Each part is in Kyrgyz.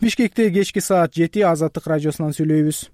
Бишкекте кечки саат 7 Азаттык радиосунан сүйлөйбүз.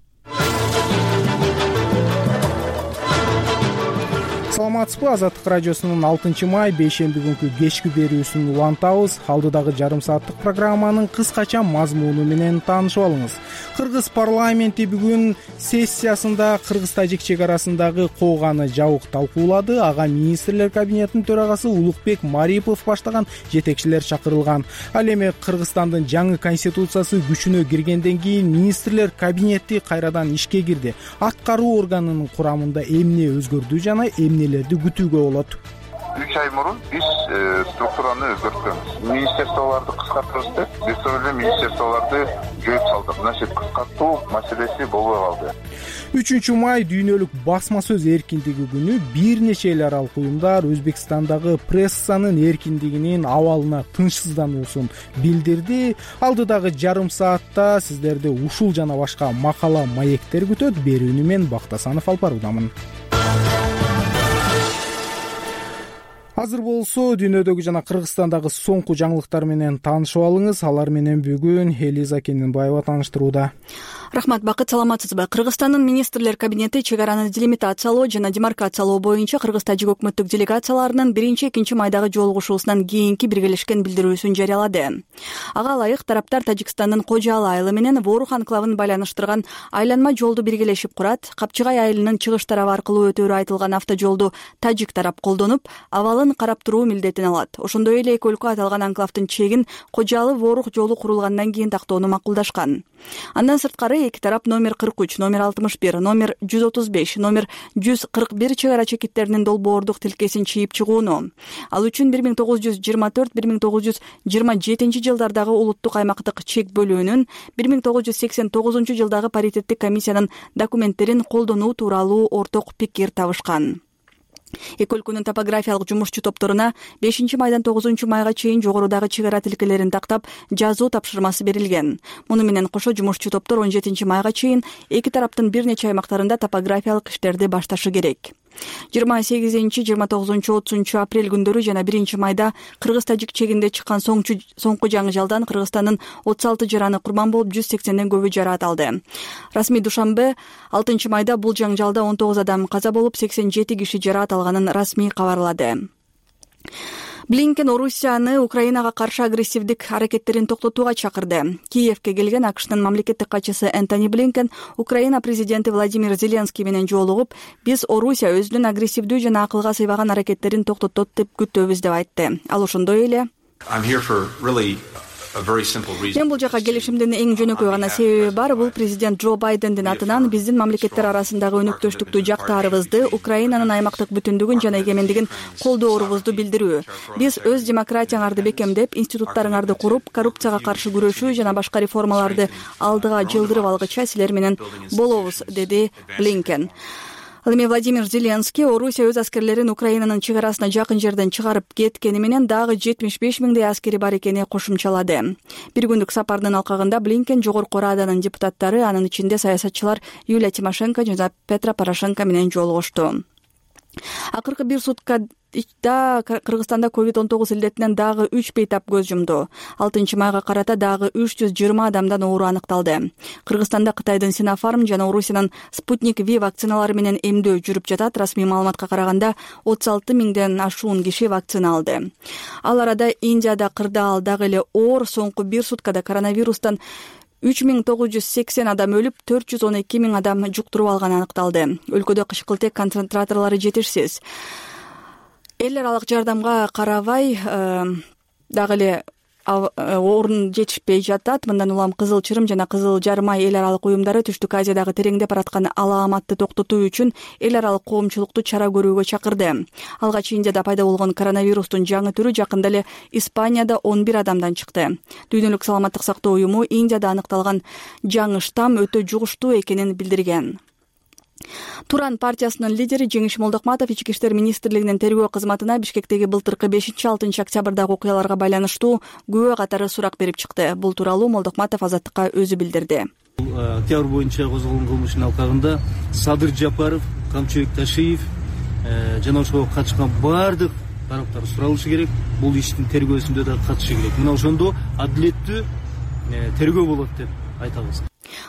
Саламатсызбы? Азаттык радиосунун 6-май бейшемби күнкү кечки берүүсүн улантабыз. Алдыдагы жарым сааттык программанын кыскача мазмуну менен таанышып алыңыз. Кыргыз парламенти бүгүн сессиясында Кыргыз-Тажик чек арасындагы кооганы жабык талкуулады. Ага министрлер кабинетинин төрагасы Улукбек Марипов баштаган жетекчилер чакырылган. Ал эми Кыргызстандын жаңы конституциясы күчүнө киргенден кийин министрлер кабинети кайрадан ишке кирди. Аткаруу органынын курамында эмне өзгөрдү жана эмнелерди күтүүгө болот? 3 ай мурун биз структураны өзгөрткөнбүз. Министрликтарды кыскартабыз деп, биз эле министрликтарды жөөп салдык. Мына ошол кыскартуу маселеси болбой калды. 3-май дүйнөлүк басма сөз эркиндиги күнү бир нече эл аралык уюмдар Өзбекстандагы прессанын эркиндигинин абалына тынчсыздануусун билдирди. Алдыдагы жарым саатта сиздерди ушул жана башка макала, маектер күтөт. Берүүнү мен Бактасанов алып баруудамын. Азыр болсо дүйнөдөгү жана Кыргызстандагы соңку жаңылыктар менен таанышып алыңыз. Алар менен бүгүн Элиза Кененбаева тааныштырууда. Рахмат, Бакыт, саламатсызбы? Кыргызстандын министрлер кабинети чек араны делимитациялоо жана демаркациялоо боюнча Кыргыз-Тажик өкмөттүк делегацияларынын 1-2 майдагы жолугушуусунан кийинки биргелешкен билдирүүсүн жарыялады. Ага ылайык тараптар Тажикстандын Кожалы айылы менен Ворух анклавын байланыштырган айланма жолду биргелешип курат. Капчыгай айылынын чыгыш тарабы аркылуу өтөөрү айтылган автожолду Тажик тарап колдонуп, абалын карап туруу милдетин алат. Ошондой эле эки өлкө аталган анклавдын чегин Кожалы Ворух жолу курулгандан кийин тактоону макулдашкан. Андан сырткары эки тарап номер 43, номер 61, номер 135, номер 141 чек ара чекиттеринин долбоордук тилкесин чийип чыгууну. Ал үчүн 1924-1927 жылдардагы улуттук аймактык чек бөлүүнүн 1989 жылдагы паритеттик комиссиянын документтерин колдонуу тууралуу орток пикир табышкан. Эки өлкөнүн топографиялык жумушчу топторуна 5-майдан 9-майга чейин жогорудагы чек ара тилкелерин тактап жазуу тапшырмасы берилген. Муну менен кошо жумушчу топтор 17-майга чейин эки тараптын бир нече аймактарында топографиялык иштерди башташы керек. 28-29-30 апрель күндөрү жана 1-майда Кыргыз-Тажик чегинде чыккан соңку жаңы-жалдан Кыргызстандын 36 жараны курман болуп 180ден көбү жараат алды. Расмий душанбе 6-майда бул жаңжалда 19 адам каза болуп 87 киши жараат алганын расмий кабарлады. Блинкен Орусияны Украинага каршы агрессивдик аракеттерин токтотууга чакырды. Киевке келген АКШнын мамлекеттик катчысы Энтони Блинкен Украина президенти Владимир Зеленский менен жолугуп, биз Орусия өзүнүн агрессивдүү жана акылга сыйбаган аракеттерин токтотот деп күтөбүз деп айтты. Ал ошондой эле мен бул жака келишимдин эң жөнөкөй гана себеби бар. Бул президент Джо Байдендин атынан биздин мамлекеттер арасындагы өнөктөштүктү жактаарыбызды, Украинанын аймактык бүтүндүгүн жана эгемендигин колдоорубузду билдирүү. Биз өз демократияңарды бекемдеп, институттарыңарды куруп, коррупцияга каршы күрөшүү жана башка реформаларды алдыга жылдырып алгыча силер менен болобуз, деди Блинкен. Ал эми Владимир Зеленский Орусия өз аскерлерин Украинанын чек арасына жакын жерден чыгарып кеткени менен дагы 75 миңдей аскери бар экени кошумчалады. Бир күндүк сапардын алкагында Блинкен Жогорку Раданын депутаттары, анын ичинде саясатчылар Юлия Тимошенко жана Петро Порошенко менен жолугушту. Акыркы бир суткада Кыргызстанда COVID-19 илдетинен дагы 3 бейтап көз жумду. 6-майга карата дагы 320 адамдан оору аныкталды. Кыргызстанда Кытайдын Синофарм жана Орусиянын Спутник V вакциналары менен эмдөө жүрүп жатат. Расмий маалыматка караганда 36 миңден ашуун киши вакцина алды. Ал арада Индияда кырдаал дагы эле оор. Соңку бир суткада коронавирустан 3980 адам өлүп, 412 миң адам жуктуруп алганы аныкталды. Өлкөдө кышкылтек концентраторлору жетишсиз. Эл аралык жардамга карабай дагы эле орун жетишпей жатат. Мындан улам Кызыл Чырым жана Кызыл Жармай эл аралык уюмдары Түштүк Азиядагы тереңдеп бараткан алааматты токтотуу үчүн эл аралык коомчулукту чара көрүүгө чакырды. Алгач Индияда пайда болгон коронавирустун жаңы түрү жакында эле Испанияда 11 адамдан чыкты. Дүйнөлүк саламаттык сактоо уюму Индияда аныкталган жаңы штамм өтө жугуштуу экенин билдирген. Туран партиясынын лидери Жеңиш Молдокматов Ички иштер министрлигинин тергөө кызматына Бишкектеги былтыркы 5-6 октябрдагы окуяларга байланыштуу күбө катары сурак берип чыкты. Бул тууралуу Молдокматов Азаттыкка өзү билдирди. Октябрь боюнча козголгон кылмыштын алкагында Садыр Жапаров, Камчыбек Ташиев жана ошого катышкан бардык тараптар суралышы керек. Бул иштин тергөөсүндө да катышы керек. Мына ошондо адилеттүү тергөө болот деп айтабыз.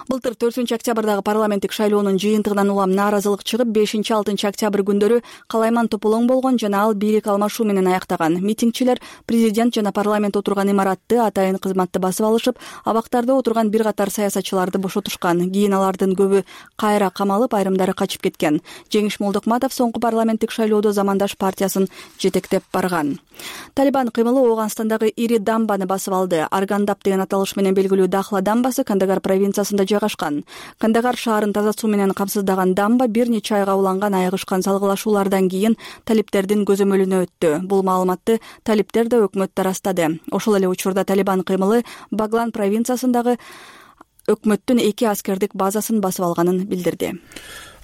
Былтыр 4-октябрдагы парламенттик шайлоонун жыйынтыгынан улам нааразылык чыгып, 5-6 октябрь калайман тополоң болгон жана ал бийлик алмашуу менен аяктаган. Митингчилер президент жана парламент отурган имаратты, атайын кызматты басып алышып, абактарда отурган бир катар саясатчыларды бошотушкан. Кийин алардын көбү кайра камалып, айрымдары качып кеткен. Жеңиш Молдокматов соңку парламенттик шайлоодо Замандаш партиясын жетектеп барган. Талибан кыймылы Ооганстандагы ири дамбаны басып алды. Аргандап деген аталыш менен белгилүү Дахла дамбасы Кандагар провинциясында жайгашкан. Кандагар шаарын таза суу менен камсыздаган дамба бир нече айга уланган айыгышкан салгылашуулардан кийин талиптердин көзөмөлүнө өттү. Бул маалыматты талиптер да өкмөттө ырастады. Ошол эле учурда Талибан кыймылы Баглан провинциясындагы өкмөттүн 2 аскердик базасын басып алганын билдирди.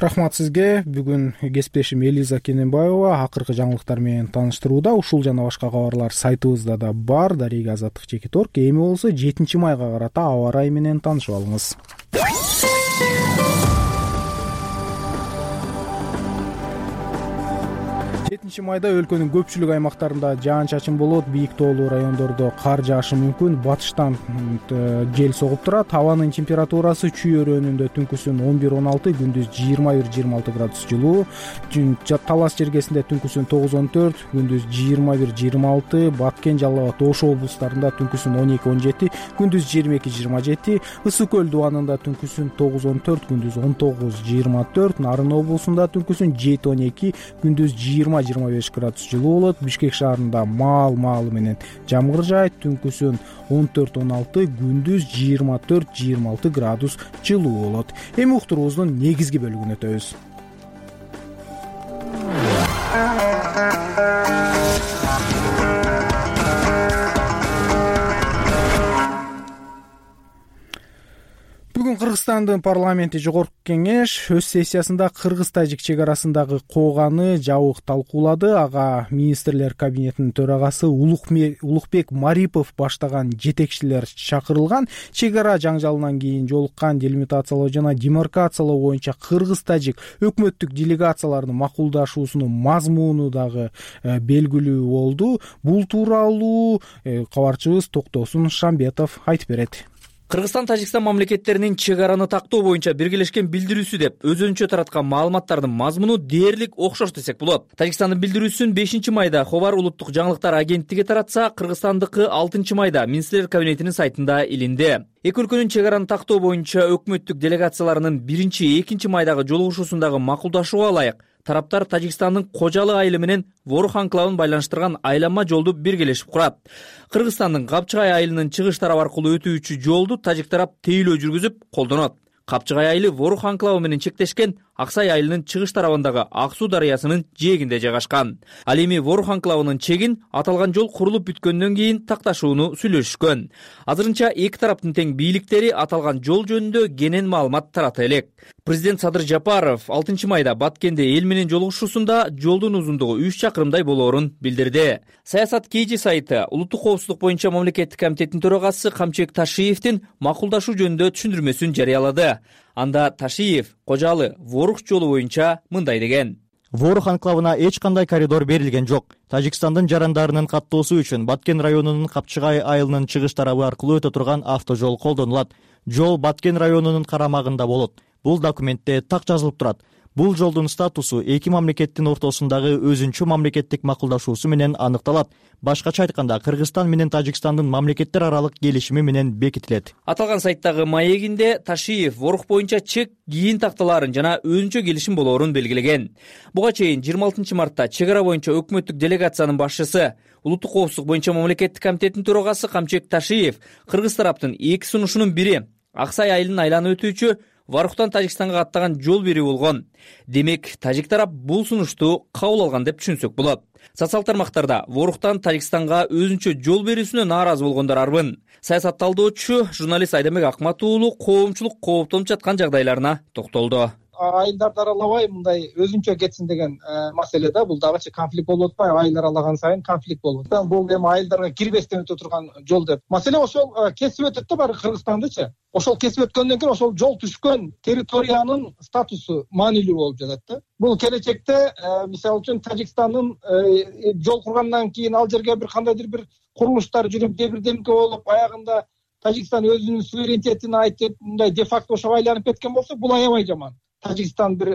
Рахмат сизге. Бүгүн кесиптешим Элиза Кененбаева акыркы жаңылыктар менен тааныштырууда. Ушул жана башка кабарлар сайтыбызда да бар. Дарига Азаттык Чекиторг. Эми болсо 7-майга карата аба ырайы менен таанышып алыңыз. 7-майда өлкөнүн көпчүлүк аймактарында жаан-чачын болот, бийик тоолуу райондордо кар жаашы мүмкүн, батыштан жел согуп турат. Абанын температурасы Чүй өрөөнүндө түнкүсүн 11-16, күндүз 21-26 градус жылуу, Талас жергесинде түнкүсүн 9-14, күндүз 21-26, Баткен, Жалал Абад, Ош облустарында түнкүсүн 12-17, күндүз 22-27, Ысык көл дубанында түнкүсүн 9-14, күндүз 19-24, Нарын облусунда түнкүсүн 7-12, күндүз 20-25 градус жылуу болот. Бишкек шаарында маал-маалы менен жамгыр жаайт, түнкүсүн 14-16, күндүз 24-26 градус жылуу болот. Эми уктуруубуздун негизги бөлүгүнө өтөбүз. Бүгүн Кыргызстандын парламенти Жогорку кеңеш өз сессиясында кыргыз-тажик чек арасындагы кооганы жабык талкуулады. Ага министрлер кабинетинин төрагасы Улукбек Марипов баштаган жетекчилер чакырылган. Чек ара жаңжалынан кийин жолуккан делимитациялоо жана демаркациялоо боюнча кыргыз-тажик өкмөттүк делегацияларынын макулдашуусунун мазмуну дагы белгилүү болду. Бул тууралуу кабарчыбыз Токтосун Шамбетов айтып берет. Кыргызстан, Тажикстан мамлекеттеринин чек араны тактоо боюнча биргелешкен билдирүүсү деп өзүнчө тараткан маалыматтардын мазмуну дээрлик окшош десек болот. Тажикстандын билдирүүсүн 5-майда Ховар улуттук жаңылыктар агенттиги таратса, Кыргызстандыкы 6-майда министрлер кабинетинин сайтында илинди. Эки өлкөнүн чек араны тактоо боюнча өкмөттүк делегацияларынын 1-2 жолугушуусундагы макулдашууга ылайык тараптар Тажикстандын Кожалы айылы менен Ворух анклавын байланыштырган айланма жолду биргелешип курат. Кыргызстандын Капчыгай айылынын чыгыш тарабы аркылуу өтүүчү жолду тажик тарап тейлөө жүргүзүп колдонот. Капчыгай айылы Ворух анклавы менен чектешкен Аксай айылынын чыгыш тарабындагы Ак Суу дарыясынын жээгинде жайгашкан. Ал эми Ворух анклавынын чегин аталган жол курулуп бүткөндөн кийин такташууну сүйлөшүшкөн. Азырынча эки тараптын тең бийликтери аталган жол жөнүндө кенен маалымат тарата элек. Президент Садыр Жапаров 6-майда Баткенде эл менен жолугушуусунда жолдун узундугу 3 чакырымдай болоорун билдирди. Саясат KG сайты улуттук коопсуздук боюнча мамлекеттик комитеттин төрагасы Камчыбек Ташиевдин макулдашуу жөнүндө түшүндүрмөсүн жарыялады. Анда Ташиев Кожалы Ворух жолу боюнча мындай деген: Ворух анклавына эч кандай коридор берилген жок. Тажикстандын жарандарынын каттоосу үчүн Баткен районунун Капчыгай айылынын чыгыш тарабы аркылуу өтө турган автожол колдонулат. Жол Баткен районунун карамагында болот. Бул документте так жазылып турат. Бул жолдун статусу эки мамлекеттин ортосундагы өзүнчө мамлекеттик макулдашуусу менен аныкталат. Башкача айтканда, Кыргызстан менен Тажикстандын мамлекеттер аралык келишими менен бекитилет. Аталган сайттагы маегинде Ташиев Ворух боюнча чек кийин такталаарын жана өзүнчө келишим болоорун белгилеген. Буга чейин 26 мартта чек ара боюнча өкмөттүк делегациянын башчысы, улуттук коопсуздук боюнча мамлекеттик комитеттин төрагасы Камчыбек Ташиев кыргыз тараптын эки сунушунун бири Аксай айылын айланып өтүүчү Варухтан Тажикстанга аттаган жол берүү болгон. Демек, тажик тарап бул сунушту кабыл алган деп түшүнсөк болот. Социал тармактарда Варухтан Тажикстанга өзүнчө жол берүүсүнө нааразы болгондор арбын. Саясат талдоочу журналист Айдамек Акмат уулу коомчулук кооптонуп жаткан жагдайларына токтолду. Айылдарды аралабай мындай өзүнчө кетсин деген маселе да, бул дагычы конфликт болуп атпайбы? Айыл аралаган сайын конфликт болот. Бул эми айылдарга кирбестен өтө турган жол деп. Маселе ошол кесип өтөт да баары Кыргызстандычы. Ошол кесип өткөндөн кийин ошол жол түшкөн территориянын статусу маанилүү болуп жатат да. Бул келечекте мисалы үчүн Тажикстандын жол кургандан кийин ал жерге бир кандайдыр бир курулуштар жүрүп, же бирдемке болуп, аягында Тажикстан өзүнүн суверенитетин айтып мындай де факто ошого айланып кеткен болсо, бул аябай жаман. Тажикстан бир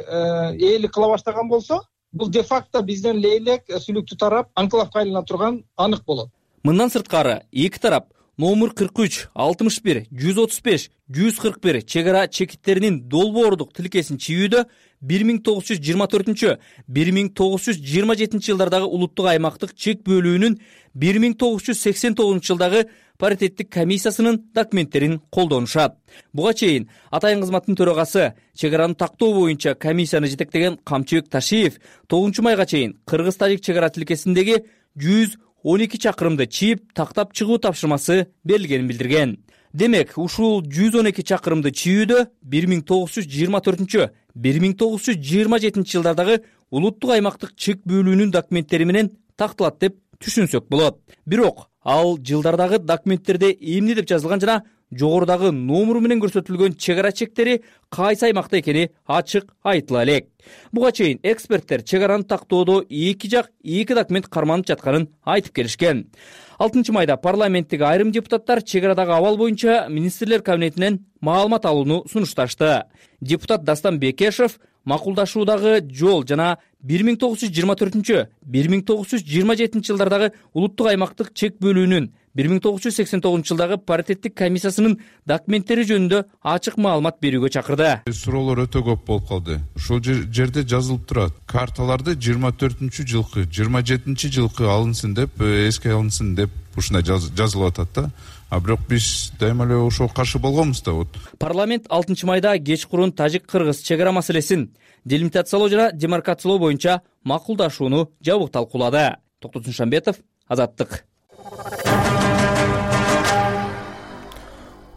ээлик кыла баштаган болсо, бул де факто бизден лейлек сүлүктүү тарап анклавга айлана турган анык болот. Мындан сырткары эки тарап номер 43, 61, 135, 141 чегара чекиттеринин долбоордук тилкесин чийүүдө 1924-1927 жылдардагы улуттук аймактык чек бөлүүнүн 1989 жылдагы паритеттик комиссиясынын документтерин колдонушат. Буга чейин атайын кызматтын төрагасы чегараны тактоо боюнча комиссияны жетектеген Камчыбек Ташиев 9 майга чейин кыргыз-тажик чегара тилкесиндеги 112 чакырымды чийип тактап чыгуу тапшырмасы берилгенин билдирген. Демек, ушул 112 чакырымды чийүүдө 1924-1927 жылдардагы улуттук аймактык чек бөлүүнүн документтери менен такталат деп түшүнсөк болот. Бирок ал жылдардагы документтерде эмне деп жазылган жана жогорудагы номеру менен көрсөтүлгөн чегара чектери кайсы аймакта экени ачык айтыла элек. Буга чейин эксперттер чегараны тактоодо эки жак эки документ карманып жатканын айтып келишкен. 6 майда парламенттеги айрым депутаттар чегарадагы абал боюнча министрлер кабинетинен маалымат алууну сунушташты. Депутат Дастан Бекешев макулдашуудагы жол жана 1924-1927 жылдардагы улуттук аймактык чек бөлүүнүн 1989 жылдагы паритеттик комиссиясынын документтери жөнүндө ачык маалымат берүүгө чакырды. Суроолор өтө көп болуп калды. Ушул жерде жазылып турат. Карталарды 24-жылкы, 27-жылкы алынсын деп, эске алынсын деп ушундай жазылып атат да. А бирок биз дайыма эле ошого каршы болгонбуз да. Парламент 6 майда кечкурун тажик-кыргыз чегара маселесин делимитациялоо жана демаркациялоо боюнча макулдашууну жабык талкуулады. Токтот Суншанбетов, Азаттык.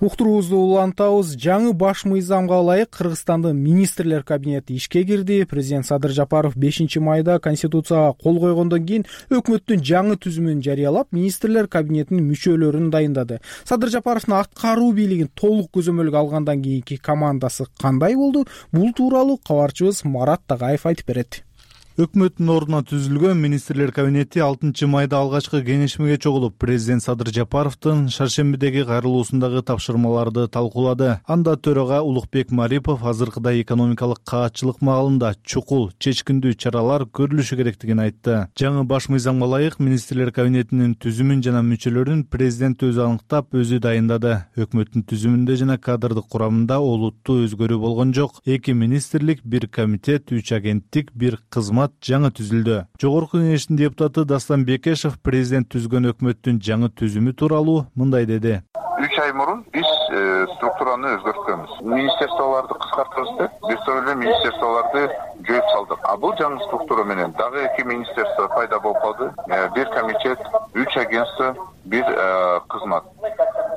Уктуруубузду улантабыз. Жаңы баш мыйзамга ылайык Кыргызстандын министрлер кабинети ишке кирди. Президент Садыр Жапаров 5 майда Конституцияга кол койгондон кийин өкмөттүн жаңы түзүмүн жарыялап, министрлер кабинетинин мүчөлөрүн дайындады. Садыр Жапаровдун аткаруу бийлигин толук көзөмөлгө алгандан кийинки командасы кандай болду? Бул тууралуу кабарчыбыз Марат Тагаев айтып берет. Өкмөттүн ордуна түзүлгөн министрлер кабинети 6 майда алгачкы кеңешмеге чогулуп, президент Садыр Жапаровдун шаршембидеги кайрылуусундагы тапшырмаларды талкуулады. Анда төрага Улукбек Марипов азыркыдай экономикалык каатчылык маалында чукул, чечкиндүү чаралар көрүлүшү керектигин айтты. Жаңы баш мыйзамга ылайык министрлер кабинетинин түзүмүн жана мүчөлөрүн президент өзү аныктап, өзү дайындады. Өкмөттүн түзүмүндө жана кадрдык курамында олуттуу өзгөрүү болгон жок. 2 министрлик, 1 комитет, 3 агенттик, 1 кызмат жаңы түзүлдү. Жогорку кеңештин депутаты Дастан Бекешев президент түзгөн өкмөттүн жаңы түзүмү тууралуу мындай деди. 3 ай мурун биз структураны өзгөрткөнбүз. Министрликтарды кыскартабыз деп, бирөө министрликтарды жойуп салдык. А бул жаңы структура менен дагы 2 министрликта пайда болуп калды. 1 комитет, 3 агентство, 1 кызмат.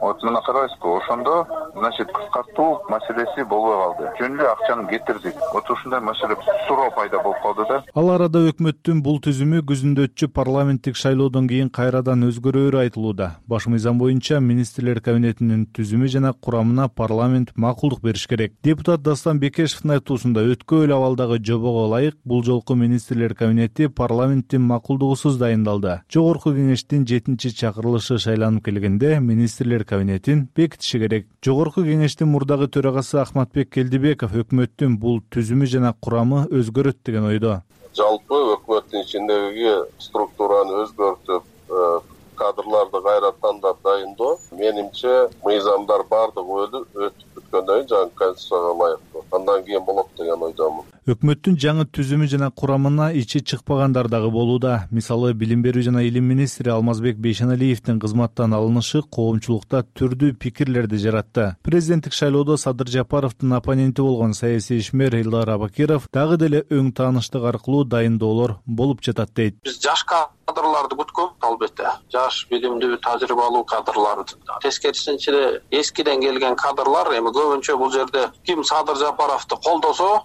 Мына карайсызбы, ошондо, значит, кыскартуу маселеси болбой калды. Жөнүндө акчаны кетирдик. Ушундай маселе суроо пайда болуп калды да. Ал арада өкмөттүн бул түзүмү күзүндө өтчү парламенттик шайлоодон кийин кайрадан өзгөрөөрү айтылууда. Баш мыйзам боюнча министрлер кабинетинин түзүмү жана курамына парламент макулдук бериш керек. Депутат Дастан Бекешевдин айтуусунда өткөн абалдагы жобого ылайык бул жолку министрлер кабинети парламенттин макулдугусуз дайындалды. Жогорку кеңештин 7-чакырылышы шайланып келгенде министрлер кабинетин бекитиши керек. Жогорку кеңештин мурдагы төрагасы Ахматбек Келдибеков өкмөттүн бул түзүмү жана курамы өзгөрөт деген ойдо. Жалпы өкмөттүн ичиндеги структураны өзгөртүп, кадрларды кайра тандап дайындоо, менимче мыйзамдар бардыгы өтүп бүткөндөн кийин жаңы конституцияга ылайыктуу. Андан кийин болот деген ойдомун. Өкмөттүн жаңы түзүмү жана курамына ичи чыкпагандар дагы болууда. Мисалы, билим берүү жана илим министри Алмазбек Бейшеналиевдин кызматтан алынышы коомчулукта түрдүү пикирлерди жаратты. Президенттик шайлоодо Садыр Жапаровдун оппоненти болгон саясий ишмер Элдар Абакиров дагы деле өң тааныштык аркылуу дайындоолор болуп жатат дейт. Биз жаш кадрларды күткөнбүз, албетте. Жаш, билимдүү, тажрыйбалуу кадрларды. Тескерисинче эскиден келген кадрлар эми көбүнчө бул жерде ким Садыр Жапаровду колдосо,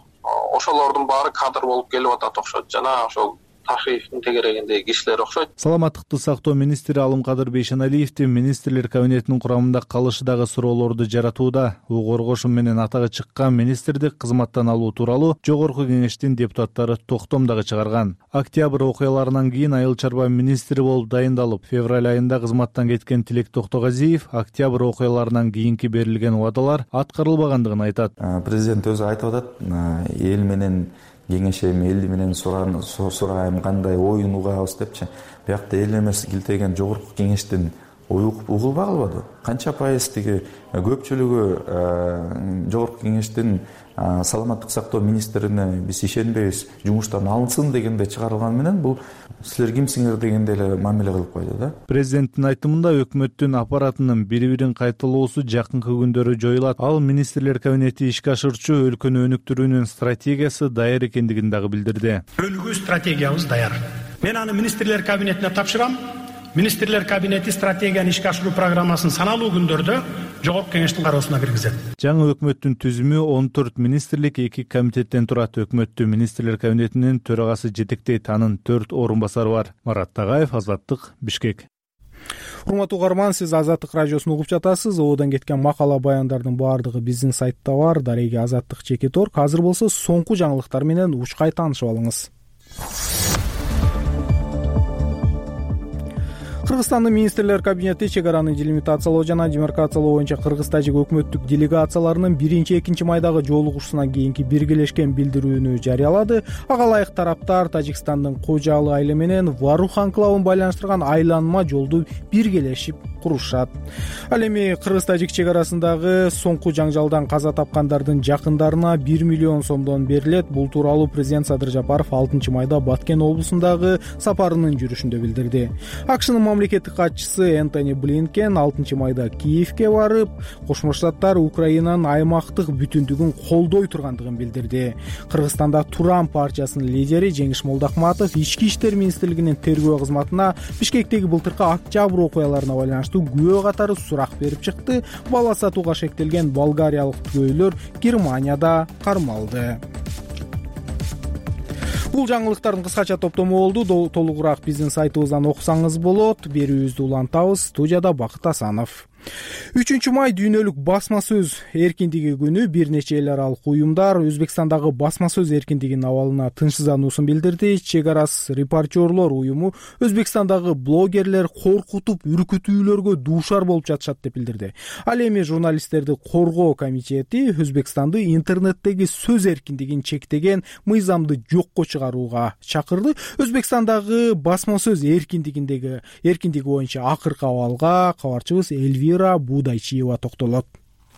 ошолордун баары кадр болуп келип атат окшойт. Жана ошол Ташиевдин тегерегиндеги кишилер окшойт. Саламаттыкты сактоо министри Алымкадыр Бейшеналиевдин министрлер кабинетинин курамында калышы дагы суроолорду жаратууда. Коргошум менен атагы чыккан министрди кызматтан алуу тууралуу жогорку кеңештин депутаттары токтом дагы чыгарган. Октябрь окуяларынан кийин айыл чарба министри болуп дайындалып, февраль айында кызматтан кеткен Тилек Токтогазиев октябрь окуяларынан кийинки берилген убадалар аткарылбагандыгын айтат. Президент өзү айтып атат, эл менен кеңешем, эл менен сурайм, кандай оюн угабыз депчи. Биякта эл эмес килтеген жогорку кеңештин угулбай калбады. Канча пайыз тиги көпчүлүгү жогорку кеңештин саламаттык сактоо министрине биз ишенбейбиз, жумуштан алынсын дегенде чыгарылган менен бул силер кимсиңер дегенде эле мамиле кылып койду да. Президенттин айтымында өкмөттүн аппаратынын бири-бирин кайталоосу жакынкы күндөрү жоюлат. Ал министрлер кабинети ишке ашырчу өлкөнү өнүктүрүүнүн стратегиясы даяр экендигин дагы билдирди. Өлгүү стратегиябыз даяр. Мен аны министрлер кабинетине тапшырам. Министрлер кабинети стратегияны ишке ашыруу программасын саналуу күндөрдө жогорку кеңештин кароосуна киргизет. Жаңы өкмөттүн түзүмү 14 министрлик 2 комитеттен турат. Өкмөттү министрлер кабинетинин төрагасы жетектейт. Анын 4 орун басары бар. Марат Тагаев, Азаттык, Бишкек. Урматтуу угарман, сиз Азаттык радиосун угуп жатасыз. Оодон кеткен макала баяндардын баардыгы биздин сайтта бар. Дареги Азаттык /. Азыр болсо соңку жаңылыктар менен учкай таанышып алыңыз. Кыргызстандын министрлер кабинети чек араны делимитациялоо жана демаркациялоо боюнча кыргыз-тажик өкмөттүк делегацияларынын 1-2 майдагы жолугушуусунан кийинки биргелешкен билдирүүнү жарыялады. Ага ылайык тараптар Тажикстандын Кожалы айылы менен Варух анклавын байланыштырган айланма жолду биргелешип курушат. Ал эми кыргыз-тажик чек арасындагы соңку жаңжалдан каза тапкандардын жакындарына 1 миллион сомдон берилет. Бул тууралуу президент Садыр Жапаров 6 майда Баткен облусундагы сапарынын жүрүшүндө билдирди. АКШнын мамлекеттик катчысы Энтони Блинкен 6 майда Киевке барып, Кошмо Штаттар Украинанын аймактык бүтүндүгүн колдой тургандыгын билдирди. Кыргызстанда Туран партиясынын лидери Жеңиш Молдахматов ички иштер министрлигинин тергөө кызматына Бишкектеги былтыркы октябрь окуяларына байланыштуу күбө катары сурак берип чыкты. Бала сатууга шектелген болгариялык түгөйлөр Германияда кармалды. Бул жаңылыктардын кыскача топтому болду. Толугураак биздин сайтыбыздан окусаңыз болот. Берүүбүздү улантабыз. Студияда Бакыт Асанов. 3 май дүйнөлүк басма сөз эркиндиги күнү. Бир нече эл аралык уюмдар Өзбекстандагы басма сөз эркиндигинин абалына тынчсыздануусун билдирди. Чек арасы репортерлор уюму Өзбекстандагы блогерлер коркутуп, үркүтүүлөргө дуушар болуп жатышат деп билдирди. Ал эми журналисттерди коргоо комитети Өзбекстанды интернеттеги сөз эркиндигин чектеген мыйзамды жокко чыгарууга чакырды. Өзбекстандагы басма сөз эркиндиги боюнча акыркы абалга кабарчыбыз Эльвира Будайчиева токтолот.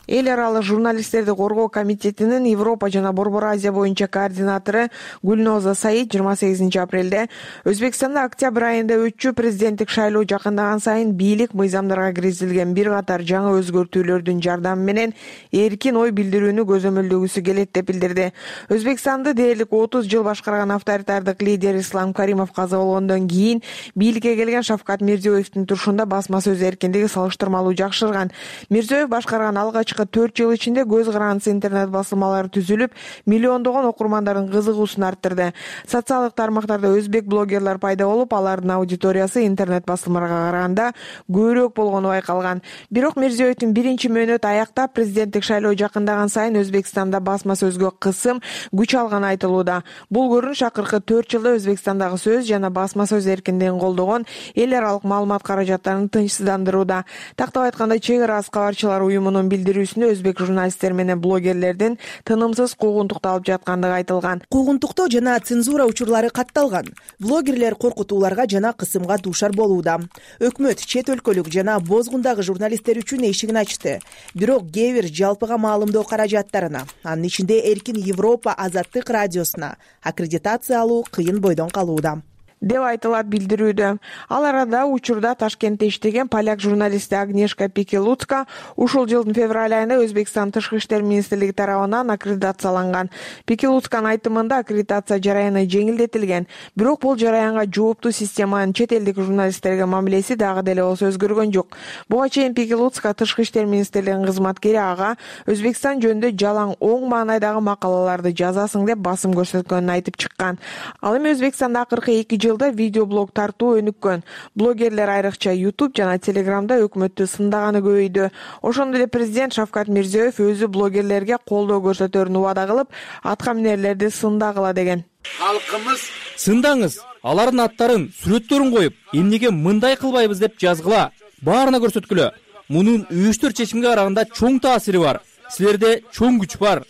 Эл аралык журналисттерди коргоо комитетинин Европа жана Борбор Азия боюнча координатору Гүлноза Саид 28 апрелде Өзбекстанда октябрь айында өтчү президенттик шайлоо жакындаган сайын бийлик мыйзамдарга киргизилген бир катар жаңы өзгөртүүлөрдүн жардамы менен эркин ой билдирүүнү көзөмөлдөгүсү келет деп билдирди. Өзбекстанды дээрлик 30 жыл башкарган авторитардык лидер Ислам Каримов каза болгондон кийин бийликке келген Шавкат Мирзиёевдин турушунда басма сөз эркиндиги салыштырмалуу жакшырган. Мирзиёев башкарган алгачкы 4 жыл ичинде көз карандысы интернет басылмалары түзүлүп, миллиондогон окурмандардын кызыгуусун арттырды. Социалдык тармактарда өзбек блогерлер пайда болуп, алардын аудиториясы интернет басылмаларга караганда көбүрөөк болгону байкалган. Бирок Мирзиёевдин биринчи мөөнөтү аяктап, президенттик шайлоо жакындаган сайын Өзбекстанда басма сөзгө кысым, күч алганы айтылууда. Бул көрүнүш акыркы 4 жылда Өзбекстандагы сөз жана басма сөз эркиндигин колдогон эл аралык маалымат каражаттарын тынчсыздандырууда. Тактап айтканда, чек арасы кабарчылар уюмунун билдирүүсүндө өзбек журналисттер менен блогерлердин тынымсыз куугунтукталып жаткандыгы айтылган. Куугунтуктоо жана цензура учурлары катталган. Блогерлер коркутууларга жана кысымга дуушар болууда. Өкмөт чет өлкөлүк жана бозгундагы журналисттер үчүн эшигин ачты. Бирок кээ бир жалпыга маалымдоо каражаттарына, анын ичинде Эркин Европа Азаттык радиосуна аккредитация алуу кыйын бойдон калууда. деп айтылат билдирүүдө. Ал арада учурда Ташкентте иштеген поляк журналисти Агнешка Пикелуцка ушул жылдын февраль айында Өзбекстан Тышкы иштер министрлиги тарабынан аккредитацияланган. Пикелуцканын айтымында аккредитация жараяны жеңилдетилген. Бирок бул жараянга жооптуу системанын чет элдик журналисттерге мамилеси дагы деле болсо өзгөргөн жок. Буга чейин Пикелуцка Тышкы иштер министрлигинин кызматкери ага Өзбекстан жөнүндө жалаң оң маанайдагы макалаларды жазасың деп басым көрсөткөнүн айтып чыккан. Ал эми Өзбекстанда акыркы 2 жылда видеоблог тартуу өнүккөн. Блогерлер айрыкча YouTube жана Telegramда өкмөттү сындаганы көбөйдү. Ошондой эле президент Шавкат Мирзиёев өзү блогерлерге колдоо көрсөтөрүн убада кылып, атка минерлерди сындагыла деген. Халкыбыз сындаңыз, алардын аттарын, сүрөттөрүн коюп, эмнеге мындай кылбайбыз деп жазгыла, баарына көрсөткүлө. Мунун өчтөр чечимге караганда чоң таасири бар. Силерде чоң күч бар.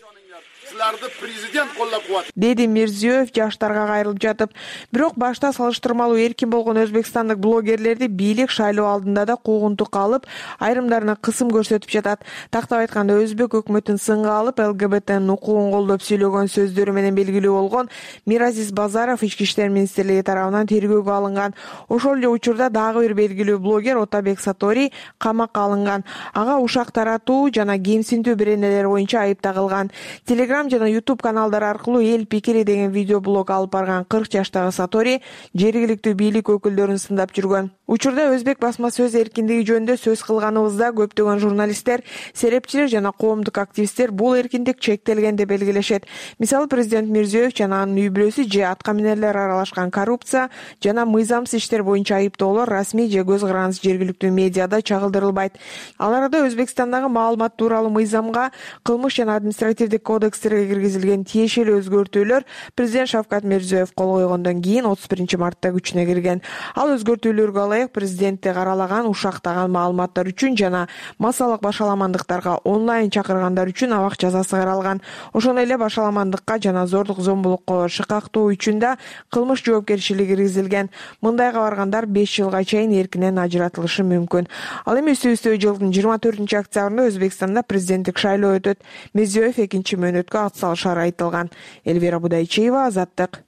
Президент колдоп куат, деди Мирзиёев жаштарга кайрылып жатып. Бирок башта салыштырмалуу эркин болгон өзбекстандык блогерлерди бийлик шайлоо алдында да куугунтукка алып, айрымдарына кысым көрсөтүп жатат. Тактап айтканда өзбек өкмөтүн сынга алып, ЛГБТнын укугун колдоп сүйлөгөн сөздөрү менен белгилүү болгон Миразис Базаров Ички иштер министрлиги тарабынан тергөөгө алынган. Ошол эле учурда дагы бир белгилүү блогер Отабек Сатори камакка алынган. Ага ушак таратуу жана кемсинтүү беренелери боюнча айып тагылган. Telegram жана YouTube каналдары аркылуу эл пикири деген видеоблог алып барган 40 жаштагы Сатори жергиликтүү бийлик өкүлдөрүн сындап жүргөн. Учурда өзбек басма сөз эркиндиги жөнүндө сөз кылганыбызда көптөгөн журналисттер, серепчилер жана коомдук активисттер бул эркиндик чектелген деп белгилешет. Мисалы президент Мирзиёев жана анын үй бүлөсү же атка минерлер аралашкан коррупция жана мыйзамсыз иштер боюнча айыптоолор расмий же көз карандысыз жергиликтүү медиада чагылдырылбайт. Ал арада Өзбекстандагы маалымат тууралуу мыйзамга, кылмыш жана административдик кодекстерге киргизилген тиешелүү өзгөртүүлөр президент Шавкат Мирзиёев кол койгондон кийин 31-мартта күчүнө кирген. Ал өзгөртүүлөргө ылайык президентти каралаган, ушактаган маалыматтар үчүн жана массалык башаламандыктарга онлайн чакыргандар үчүн абак жазасы каралган. Ошондой эле башаламандыкка жана зордук зомбулукка шыкактоо үчүн да кылмыш жоопкерчилиги киргизилген. Мындайга баргандар 5 жылга чейин эркинен ажыратылышы мүмкүн. Ал эми үстү-үстү жылдын 24-октябрында Өзбекстанда президенттик шайлоо өтөт. Мирзиёев экинчи мөөнөткө ат салышары айтылган. Элвира Будайчиева, Азаттык.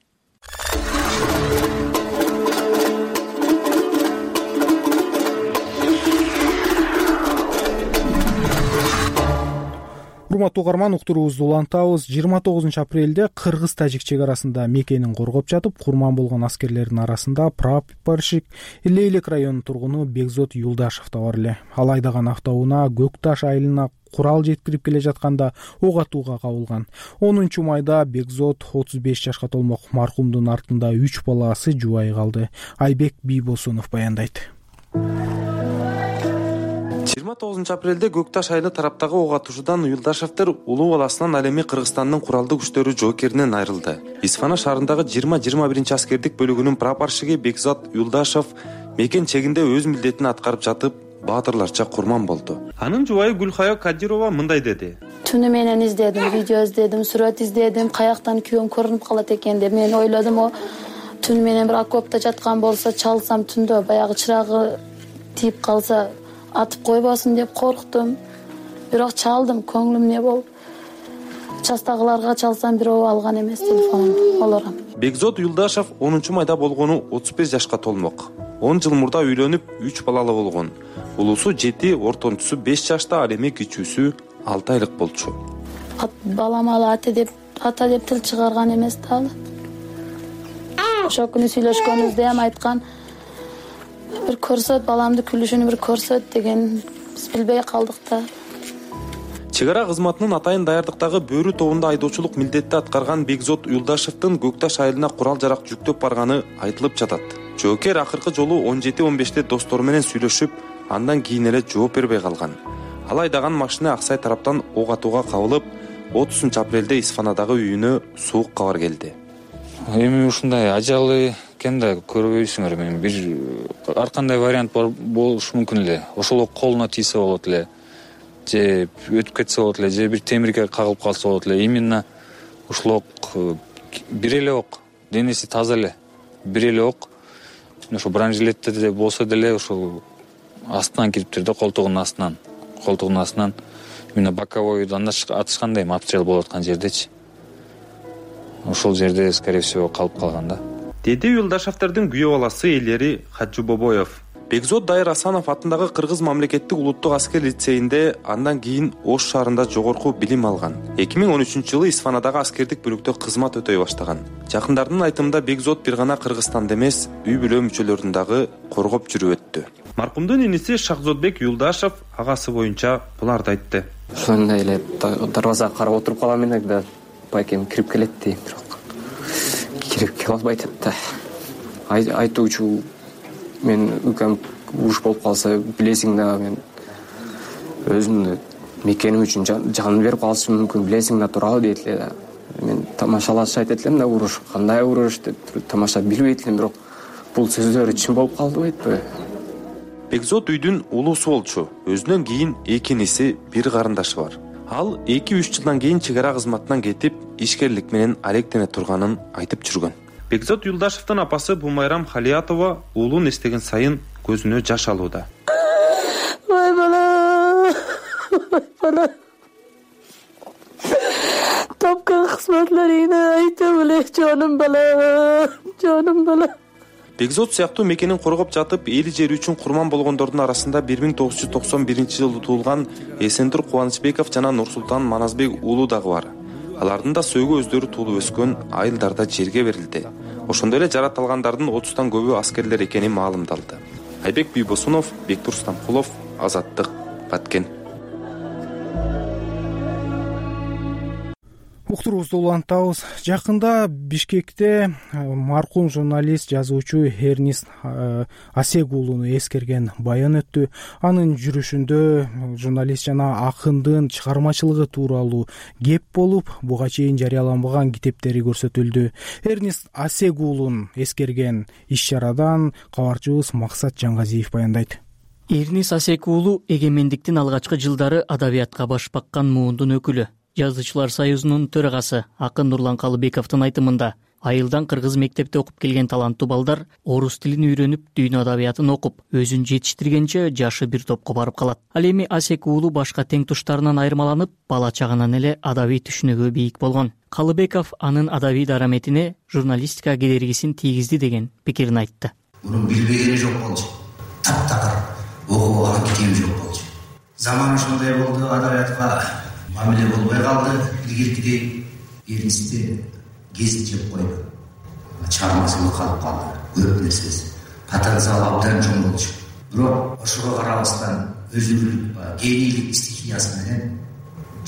Урматтуу угарман, уктуруубузду улантабыз. 29 апрелде кыргыз-тажик чек арасында мекенин коргоп жатып, курман болгон аскерлердин арасында прапорщик Лейлек районунун тургуну Бекзот Юлдашев да бар эле. Ал айдаган автоунаа Көк Таш айылына курал жеткирип келе жатканда ок атууга кабылган. 10-майда Бекзот 35 жашка толмок маркумдун артында 3 баласы жубай калды. Айбек Бийбосунов баяндайт. 29 апрелде Көк Таш айылы тараптагы ок атуучудан Юлдашевдер улуу баласынан ал эми Кыргызстандын куралдуу күчтөрү жоокеринен айрылды. Исфана шаарындагы 20-21 аскердик бөлүгүнүн прапорщиги Бекзот Юлдашев мекен чегинде өз милдетин аткарып жатып, баатырларча курман болду. Анын жубайы Гүлхая Кадирова мындай деди. Түнү менен издедим, видео издедим, сүрөт издедим, каяктан күйөөм көрүнүп калат экен деп мен ойлодум. Түнү менен бир окопто жаткан болсо, чалсам түндө баягы чырагы тийип калса атып койбосун деп корктум. Бирок чалдым, көңүлүм эмне болуп. Частагыларга чалсам бирөө алган эмес телефонумду, олорам. Бекзот Юлдашев 10-майда болгону 35 жашка толмок. 10 жыл мурда үйлөнүп, 3 балалы болгон. Улуусу 7, ортончусу 5 жашта, ал эми кичүүсү 6 айлык болчу. Балам ала ата деп тил чыгарган эмес да ал. Ошол күнү сүйлөшкөнүбүздө ham айткан, бир көрсөт, баламды күлүшүнү бир көрсөт деген, биз билбей калдык да. Чек ара кызматынын атайын даярдыктагы бөрү тобунда айдоочулук милдетти аткарган Бекзот Юлдашевдин Көк Таш айылына курал жарак жүктөп барганы айтылып жатат. Жоокер акыркы жолу 17-15-те достору менен сүйлөшүп, андан кийин эле жооп бербей калган. Ал айдаган машина Аксай тараптан ок атууга кабылып, 30-апрелде Исфанадагы үйүнө суук кабар келди. Эми ушундай ажалы экен да көрбөйсүңөр, мен бир ар кандай вариант болушу мүмкүн эле. Ошол колуна тийсе болот эле, же өтүп кетсе болот эле, же бир темирге кагылып калса болот эле. Именно ушул бир эле ок, денеси таза эле, бир эле ок. Ошо бронежилетте болсо деле ошол астынан кириптир да, колтугунун астынан. Именно боковойдан атышкандай, обстрел болуп аткан жердечи. Ошол жерде, скорее всего, калып калган да. деди Юлдашевдердин күйөө баласы Элери Хаджыбобоев. Бекзод Дайыр Асанов атындагы Кыргыз мамлекеттик улуттук аскер лицейинде, андан кийин Ош шаарында жогорку билим алган. 2013-жылы Исфанадагы аскердик бөлүктө кызмат өтөй баштаган. Жакындардын айтымында Бекзод бир гана Кыргызстанда эмес, үй бүлө мүчөлөрүн дагы коргоп жүрүп өттү. Маркумдун иниси Шахзодбек Юлдашев агасы боюнча буларды айтты. Ошондой эле дарбазага карап отуруп калам элек да, байкем кирип келет дейм, бирок кирип келе албайт да. Айтуучу мен үкөм уруш болуп калса билесиң да, мен өзүмдү мекеним үчүн жанын берип калышым мүмкүн, билесиң да, туурабы дейт эле да. Мен тамашалашып айтат элем да, уруш кандай уруш деп тамаша билбейт элем, бирок бул сөздөр чын болуп калдыбы? Бекзод үйдүн улуусу болчу. Өзүнөн кийин эки иниси, бир карындашы бар. Ал 2-3 жылдан кийин чек ара кызматынан кетип, ишкерлик менен алектене турганын айтып жүргөн. Бекзод Юлдашевдин апасы Бумайрам Халиятова уулун эстеген сайын көзүнө жаш алууда. Ой бала, ой бала. Тапкан кызматларыңды айтып эле, жаным бала, жаным бала. Бекзод сыяктуу мекенин коргоп жатып, эли жери үчүн курман болгондордун арасында 1991-жылы туулган Эсендур Кубанычбеков жана Нурсултан Маназбек уулу дагы бар. Алардын да сөөгү өздөрү туулуп өскөн айылдарда жерге берилди. Ошондой эле жаратылгандардын 30тан көбү аскерлер экени маалымдалды. Айбек Бийбосунов, Бектур Стамкулов, Азаттык, Баткен. Уктурубузду улантабыз. Жакында Бишкекте маркум журналист, жазуучу Эрнист Асек уулуну эскерген баян өттү. Анын жүрүшүндө журналист жана акындын чыгармачылыгы тууралуу кеп болуп, буга чейин жарыяланбаган китептери көрсөтүлдү. Эрнист Асек уулун эскерген иш-чарадан кабарчыбыз Максат Жаңгазиев баяндайт. Эрнист Асек уулу эгемендиктин алгачкы жылдары адабиятка баш баккан муундун өкүлү. Жазуучулар союзунун төрагасы акын Нурлан Калыбековдун айтымында, айылдан кыргыз мектепте окуп келген таланттуу балдар орус тилин үйрөнүп, дүйнө адабиятын окуп, өзүн жетиштиргенче жашы бир топко барып калат. Ал эми Асек уулу башка тең туштарынан айырмаланып, бала чагынан эле адабий түшүнүгү бийик болгон. Калыбеков анын адабий дараметине журналистика кедергисин тийгизди деген пикирин айтты. Мунун билбегени жок болчу. Таптакыр окуган китеби жок болчу. Заман ошондой болду, адабиятка мамиле болбой калды. Илгиркидей Эрнистти кезип жеп койду. Чыгармачылык калып калды. Көп нерсеси. Потенциал абдан чоң болчу. Бирок ошого карабастан өзүнүн генийлик стихиясы менен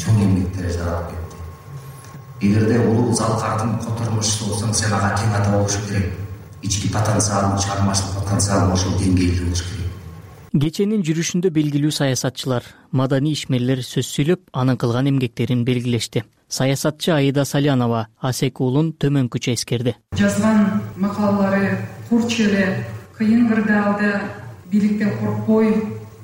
чоң эмгектер жаралып кетти. Эгерде улуу залкардын котормушчусу болсоң, сен ага тең ата болуш керек. Ички потенциалың, чыгармачылык потенциалың ошол деңгээлде болуш керек. Кеченин жүрүшүндө белгилүү саясатчылар, маданий ишмерлер сөз сүйлөп, анын кылган эмгектерин белгилешти. Саясатчы Аида Салянова Асек уулун төмөнкүчө эскерди. Жазган макалалары курч эле, кыйын кырдаалда бийликтен коркпой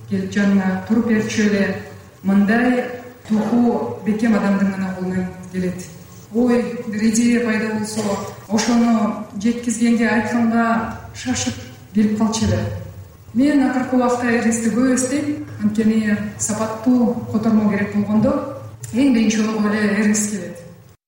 келип жанына туруп берчү эле, мындай духу бекем адамдын гана колунан келет. Ой, бир идея пайда болсо, ошону жеткизгенге, айтканга шашып келип калчу эле. Мен акыркы убакта Эрнистти көп эстейм, анткени сапаттуу котормо керек болгондо эң биринчи жолу эле Эрнист келет.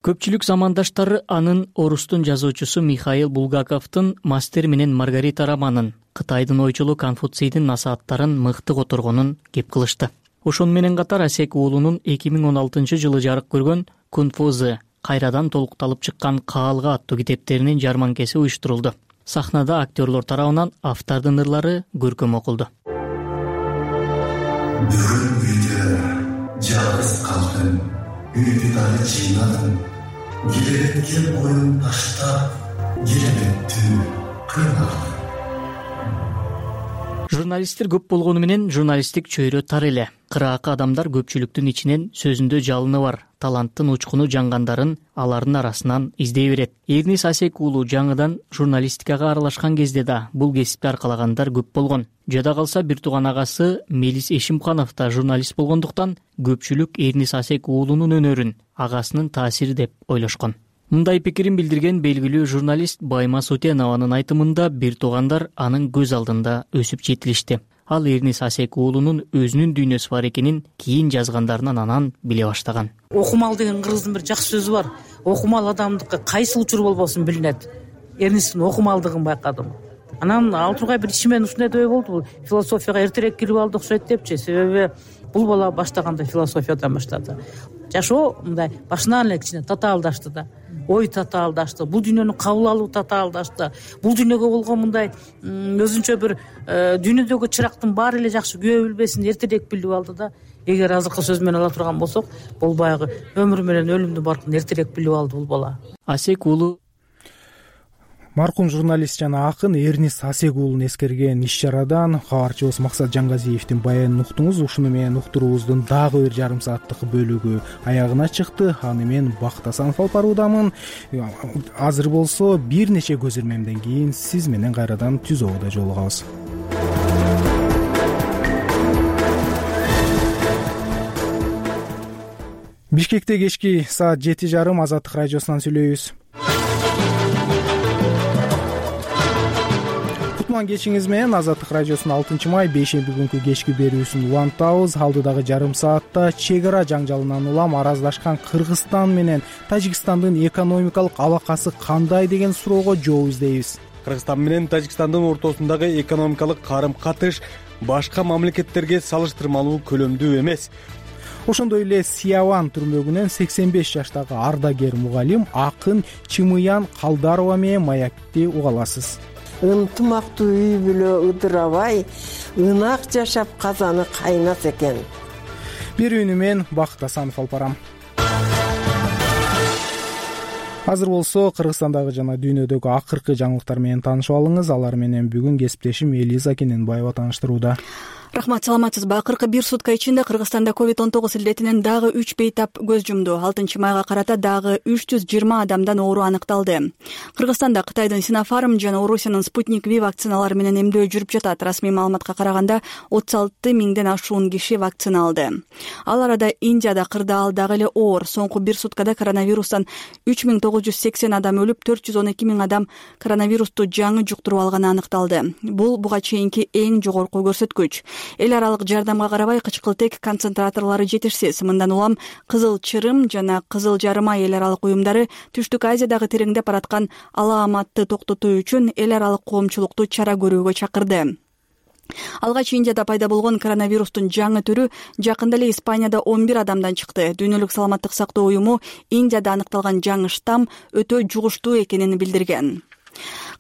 Көпчүлүк замандаштары анын орустун жазуучусу Михаил Булгаковдун Мастер менен Маргарита романын, Кытайдын ойчулу Конфуцийдин насааттарын мыкты которгонун кеп кылышты. Ошону менен катар Асек уулунун 2016-жылы жарык көргөн Кунфузы, кайрадан толукталып чыккан Каалга аттуу китептеринин жарманкеси уюштурулду. Сахнада актерлор тарабынан автордун ырлары көркөм окулду. Бүгүн үйдө жалгыз калдым, үйдү дагы жыйнадым. Келебетке боюн таштап, келебеттү кыйналдым. Журналисттер көп болгону менен журналисттик чөйрө тар эле. Кыраакы адамдар көпчүлүктүн ичинен сөзүндө жалыны бар, таланттын учкуну жангандарын алардын арасынан издей берет. Эрнист Асек уулу жаңыдан журналистикага аралашкан кезде да бул кесипти аркалагандар көп болгон. Жада калса бир тууган агасы Мелис Эшимканов да журналист болгондуктан көпчүлүк Эрнист Асек уулунун өнөрүн агасынын таасири деп ойлошкон. Мындай пикирин билдирген белгилүү журналист Байма Сутенованын айтымында бир туугандар анын көз алдында өсүп жетилишти. Ал Эрнист Асек уулунун өзүнүн дүйнөсү бар экенин кийин жазгандарынан анан биле баштаган. Окумал деген кыргыздын бир жакшы сөзү бар. Окумал адамдыкы кайсы учур болбосун билинет. Эрнисттин окумалдыгын байкадым. Анан ал тургай бир ичимен ушундай ой болду, бул философияга эртерээк кирип алды окшойт депчи. Себеби бул бала баштаганда философиядан баштады. Жашоо мындай башынан эле кичине татаалдашты да. Ой татаалдашты, бул дүйнөнү кабыл алуу татаалдашты. Бул дүйнөгө болгон мындай өзүнчө бир дүйнөдөгү чырактын баары эле жакшы күбө билбесин эртерээк билип алды да. Эгер азыркы сөз менен ала турган болсок, бул баягы өмүр менен өлүмдүн баркын эртерээк билип алды бул бала. Асек уулу маркум журналист жана акын Эрнист Асек уулун эскерген иш-чарадан кабарчыбыз Максат Жангазиевдин баянын уктуңуз. Ушуну менен уктуруубуздун дагы бир жарым сааттык бөлүгү аягына чыкты. Аны мен Бакыт Асанов алып баруудамын. Азыр болсо бир нече көзөрмөмдөн кийин сиз менен кайрадан түз ободо жолугабыз. Бишкекте кечки саат 7:30 Азаттык радиосунан сүйлөйбүз. Кутман кечиңиз менен Азаттык радиосунун 6-май бейшемби күнкү кечки берүүсүн улантабыз. Алдыдагы жарым саатта чек ара жаңжалынан улам араздашкан Кыргызстан менен Тажикстандын экономикалык алакасы кандай деген суроого жооп издейбиз. Кыргызстан менен Тажикстандын ортосундагы экономикалык карым-катыш башка мамлекеттерге салыштырмалуу көлөмдүү эмес. Ошондой эле Сияван түрмөгүнөн 85 жаштагы ардагер мугалим акын Чымыян Калдарова менен маекти уга аласыз. Ынтымактуу үй бүлө ыдырабай, ынак жашап казаны кайнас экен. Берүүнү мен Бакыт Асанов алып барам. Азыр болсо Кыргызстандагы жана дүйнөдөгү акыркы жаңылыктар менен таанышып алыңыз. Алар менен бүгүн кесиптешим Элиза Кененбаева тааныштырууда. Рахмат, саламатсызбы. Акыркы бир сутка ичинде Кыргызстанда COVID-19 илдетинен дагы 3 бейтап көз жумду. 6-майга карата дагы 320 адамдан оору аныкталды. Кыргызстанда Кытайдын Синофарм жана Орусиянын Спутник V вакциналары менен эмдөө жүрүп жатат. Расмий маалыматка караганда 36 миңден ашуун киши вакцина алды. Ал арада Индияда кырдаал дагы эле оор. Соңку бир суткада коронавирустан 3980 адам өлүп, 412 миң адам коронавирусту жаңы жуктуруп алганы аныкталды. Бул буга чейинки эң жогорку көрсөткүч. Эл аралык жардамга карабай кычкылтек концентраторлору жетишсиз. Мындан улам Кызыл Чырым жана Кызыл Жарыма эл аралык уюмдары Түштүк Азиядагы тереңдеп бараткан алааматты токтотуу үчүн эл аралык коомчулукту чара көрүүгө чакырды. Алгач Индияда пайда болгон коронавирустун жаңы түрү жакында эле Испанияда 11 адамдан чыкты. Дүйнөлүк саламаттык сактоо уюму Индияда аныкталган жаңы штамм өтө жугуштуу экенин билдирген.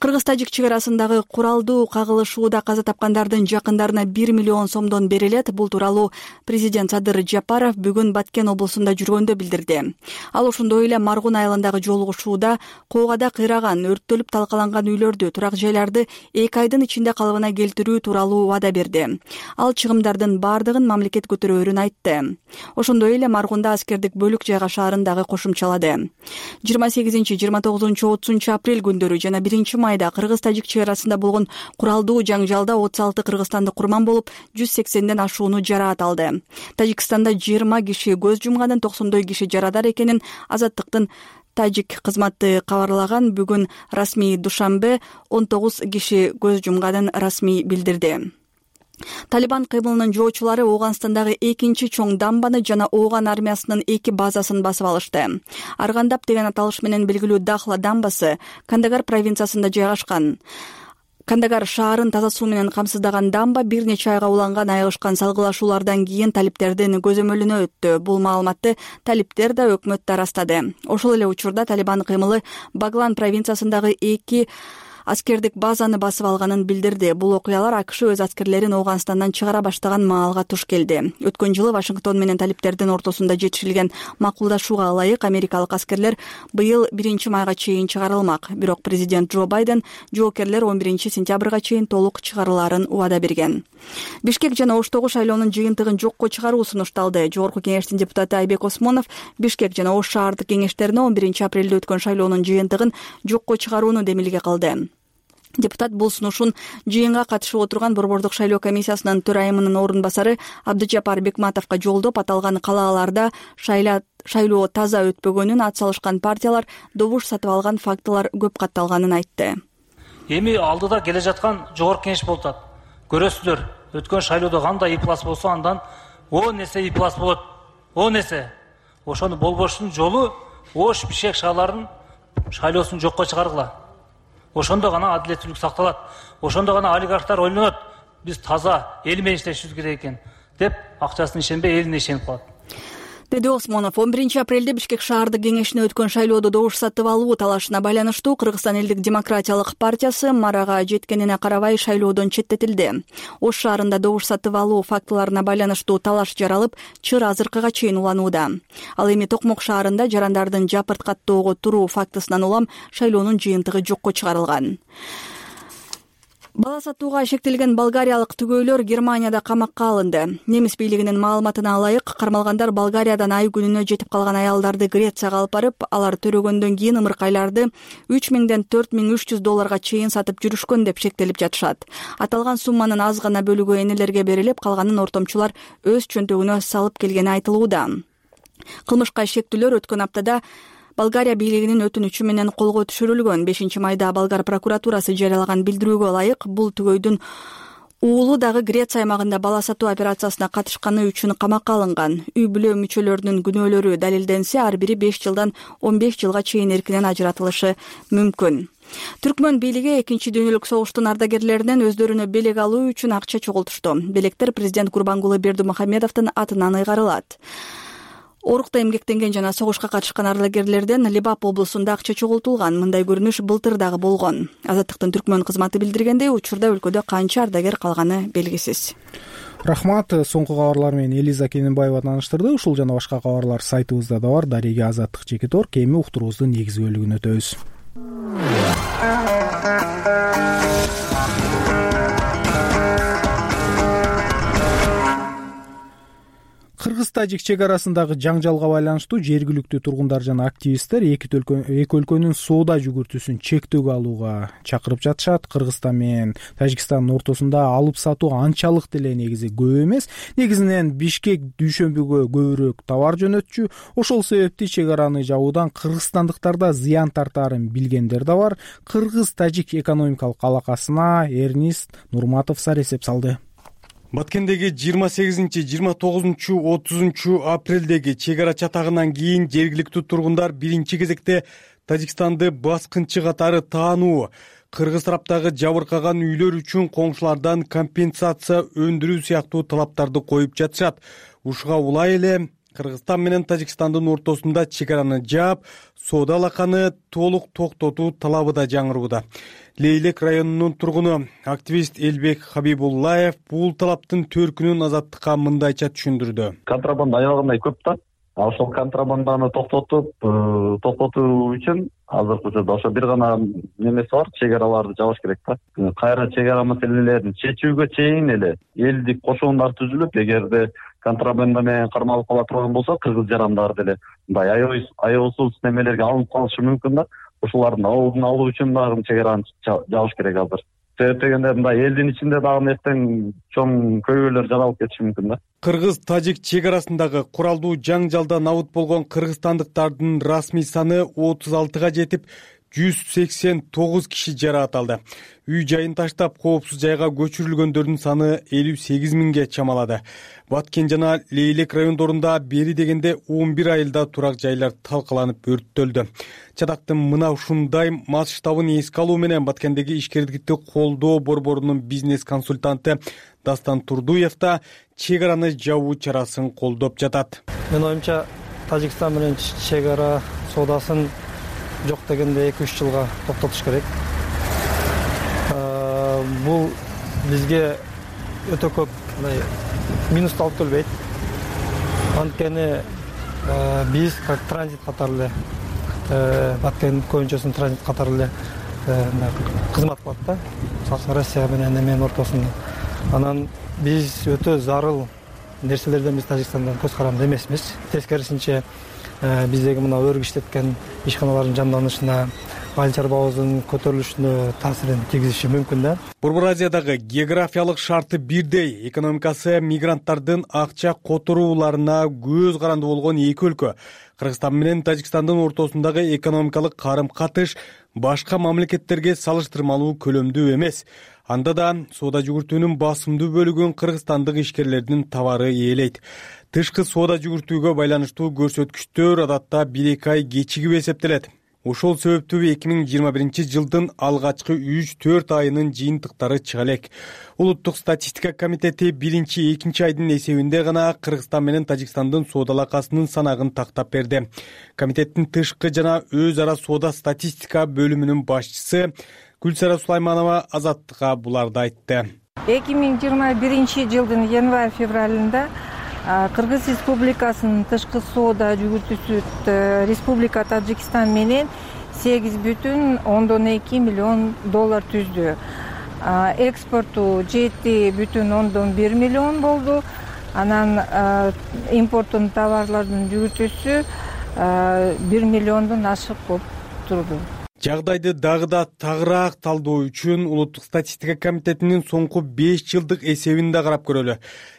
Кыргыз-Тажик чек арасындагы куралдуу кагылышууда каза тапкандардын жакындарына 1 миллион сомдон берилет. Бул тууралуу президент Садыр Жапаров бүгүн Баткен облусунда жүргөндө билдирди. Ал ошондой эле Маргун айылындагы жолугушууда коогада кыйраган, өрттөлүп талкаланган үйлөрдү, турак жайларды 2 айдын ичинде калыбына келтирүү тууралуу вада берди. Ал чыгымдардын бардыгын мамлекет көтөрөөрүн айтты. Ошондой эле Маргунда аскердик бөлүк жайгашаарын дагы кошумчалады. 28, 29, 30 апрель күндөрү жана 1 майда Кыргыз-Тажик чек арасында болгон куралдуу жаңжалда 36 кыргызстандык курман болуп, 180ден ашууну жараат алды. Тажикстанда 20 киши көз жумганын, 90 киши жарадар экенин Азаттыктын Тажик кызматы кабарлаган. Бүгүн расмий Душанбе 19 киши көз жумганын расмий билдирди. Талибан кыймылынын жоочулары Ооганстандагы 2 чоң дамбаны жана Ооган армиясынын 2 базасын басып алышты. Аргандап деген аталыш менен белгилүү Дахла дамбасы Кандагар провинциясында жайгашкан. Кандагар шаарын таза суу менен камсыздаган дамба бир нече айга уланган айыгышкан салгылашуулардан кийин талиптердин көзөмөлүнө өттү. Бул маалыматты талиптер да өкмөт да ырастады. Ошол эле учурда Талибан кыймылы Баглан провинциясындагы 2 аскердик базаны басып алганын билдирди. Бул окуялар АКШ өз аскерлерин Ооганстандан чыгара баштаган маалга туш келди. Өткөн жылы Вашингтон менен талиптердин ортосунда жетишилген макулдашууга ылайык америкалык аскерлер быйыл 1 майга чейин чыгарылмак. Бирок президент Джо Байден жоокерлер 11 сентябрга чейин толук чыгарылаарын убада берген. Бишкек жана Оштогу шайлоонун жыйынтыгын жокко чыгаруу сунушталды. Жогорку кеңештин депутаты Айбек Осмонов Бишкек жана Ош шаардык кеңештерине 11 апрелде өткөн шайлоонун жыйынтыгын жокко чыгарууну демилге кылды. Депутат бул сунушун жыйынга катышып отурган Борбордук шайлоо комиссиясынын төрайымынын орун басары Абдыжапар Бекматовго жолдоп, аталган калааларда шайлоо таза өтпөгөнүн, ат салышкан партиялар добуш сатып алган фактылар көп катталганын айтты. Эми алдыда келе жаткан жогорку кеңеш болуп атат. Көрөсүздөр, өткөн шайлоодо кандай иплас болсо андан 10 эсе иплас болот. 10 эсе. Ошону болбоштун жолу Ош Бишкек шаарларынын шайлоосун жокко чыгаргыла. ошондо гана адилеттүүлүк сакталат, ошондо гана олигархтар ойлонот, биз таза эл менен иштешибиз керек экен деп акчасына ишенбей элине ишенип калат, деди Осмонов. 11 апрелде Бишкек шаардык кеңешине өткөн шайлоодо добуш сатып алуу талашына байланыштуу Кыргызстан элдик демократиялык партиясы марага жеткенине карабай шайлоодон четтетилди. Ош шаарында добуш сатып алуу фактыларына байланыштуу талаш жаралып, чыр азыркыга чейин уланууда. Ал эми Токмок шаарында жарандардын жапырт каттоого туруу фактысынан улам шайлоонун жыйынтыгы жокко чыгарылган. Бала сатууга шектелген болгариялык түгөйлөр Германияда камакка алынды. Немис бийлигинин маалыматына ылайык, кармалгандар Болгариядан ай күнүнө жетип калган аялдарды Грецияга алып барып, алар төрөгөндөн кийин ымыркайларды 3000ден 4300 долларга чейин сатып жүрүшкөн деп шектелип жатышат. Аталган сумманын аз гана бөлүгү энелерге берилип, калганын ортомчулар өз чөнтөгүнө салып келгени айтылууда. Кылмышка шектүүлөр өткөн аптада Болгария бийлигинин өтүнүчү менен колго түшүрүлгөн. 5-майда болгар прокуратурасы жарыялаган билдирүүгө ылайык, бул түгөйдүн уулу дагы Греция аймагында бала сатуу операциясына катышканы үчүн камакка алынган. Үй бүлө мүчөлөрүнүн күнөөлөрү далилденсе, ар бири 5 жылдан 15 жылга чейин эркинен ажыратылышы мүмкүн. Түркмөн бийлиги Экинчи дүйнөлүк согуштун ардагерлеринен өздөрүнө белек алуу үчүн акча чогултушту. Белектер президент Курбангулы Бердимухамедовдун атынан ыйгарылат. Орукта эмгектенген жана согушка катышкан ардагерлерден Либап облусунда акча чогултулган. Мындай көрүнүш былтыр дагы болгон. Азаттыктын Түркмөн кызматы билдиргендей, учурда өлкөдө канча ардагер калганы белгисиз. Рахмат. Соңку кабарлар менен Элиза Кененбаева тааныштырды. Ушул жана башка кабарлар сайтыбызда да бар. Дареге Азаттык Чекит Орг. Эми уктуруубуздун негизги бөлүгүнө өтөбүз. Кыргыз-Тажик чек арасындагы жаңжалга байланыштуу жергиликтүү тургундар жана активисттер эки өлкөнүн соода жүгүртүүсүн чектөөгө алууга чакырып жатышат. Кыргызстан менен Тажикстандын ортосунда алып сатуу анчалык деле негизи көп эмес. Негизинен Бишкек дүйшөмбүгө көбүрөөк товар жөнөтчү. Ошол себептен чек араны жабуудан кыргызстандыктарда зыян тартаарын билгендер да бар. Кыргыз-Тажик экономикалык алакасына Эрнист Нурматов саресеп салды. Баткендеги 28-29-30 апрелдеги чек ара чатагынан кийин жергиликтүү тургундар биринчи кезекте Тажикстанды баскынчы катары таануу, кыргыз тараптагы жабыркаган үйлөр үчүн коңшулардан компенсация өндүрүү сыяктуу талаптарды коюп жатышат. Ушуга улай эле Кыргызстан менен Тажикстандын ортосунда чек араны жаап, соода алаканы толук токтотуу талабы да жаңырууда. Лейлек районунун тургуну активист Элбек Хабибуллаев бул талаптын төркүнүн Азаттыкка мындайча түшүндүрдү. Контрабанда аябагандай көп да. Ошол контрабанданы токтотуу үчүн азыркы учурда ошо бир гана немеси бар, чек араларды жабыш керек да. Кайра чек ара маселелерин чечүүгө чейин эле элдик кошоондар түзүлүп, эгерде контрабанда менен кармалып кала турган болсо, кыргыз жарандар деле мындай аеосуз немелерге алынып калышы мүмкүн да. Ошолардын алдын алуу үчүн дагы чек араны жабыш керек азыр. Себеп дегенде мындай элдин ичинде дагы эртең чоң көйгөйлөр жаралып кетиши мүмкүн да. Кыргыз-Тажик чек арасындагы куралдуу жаңжалдан абыт болгон кыргызстандыктардын расмий саны 36га жетип, 189 киши жараат алды. Үй жайын таштап, коопсуз жайга көчүрүлгөндөрдүн саны 58 миңге чамалады. Баткен жана Лейлек райондорунда бери дегенде 11 айылда турак жайлар талкаланып өрттөлдү. Чатактын мына ушундай масштабын эске алуу менен Баткендеги ишкерликти колдоо борборунун бизнес консультанты Дастан Турдуев да чек араны жабуу чарасын колдоп жатат. Мен оюмча Тажикстан менен чек ара соодасын жок дегенде 2-3 жылга токтотуш керек. Бул бизге өтө көп минус алып келбейт. Анткени биз как транзит катары эле Баткен көйүнчөсүнүн транзит катары эле кызмат кылат да. Россия менен эменин ортосунда. Анан биз өтө зарыл нерселерден биз Тажикстандан көз каранды эмесмиз. Тескерисинче биздеги мына өргү иштеткен ишканалардын жанданышына, айыл чарбабыздын көтөрүлүшүнө таасирин тийгизиши мүмкүн да. Борбор Азиядагы географиялык шарты бирдей, экономикасы мигранттардын акча которууларына көз каранды болгон эки өлкө. Кыргызстан менен Тажикстандын ортосундагы экономикалык карым-катыш башка мамлекеттерге салыштырмалуу көлөмдүү эмес. Анда да соода жүгүртүүнүн басымдуу бөлүгүн кыргызстандык ишкерлердин товары ээлейт. Тышкы соода жүгүртүүгө байланыштуу көрсөткүчтөр адатта 1-2 ай кечигип эсептелет. Ошол себептүү 2021 алгачкы 3-4 айынын жыйынтыктары чыга элек. Улуттук статистика комитети 1-2 айдын эсебинде гана Кыргызстан менен Тажикстандын соода алакасынын санагын тактап берди. Комитеттин тышкы жана өз ара соода статистика бөлүмүнүн башчысы Гүлсара Сулайманова Азаттыкка буларды айтты. 2021 январь-февралында Кыргыз Республикасынын тышкы соода жүгүртүүсү Республика Тажикстан менен $8,2 миллион түздү. Экспорту $7,1 миллион болду. Анан импорттун товарлардын жүгүртүүсү 1 миллиондон ашык болуп турду. Жагдайды дагы да тагыраак талдоо үчүн Улуттук статистика комитетинин соңку 5 жылдык эсебин да карап көрөлү.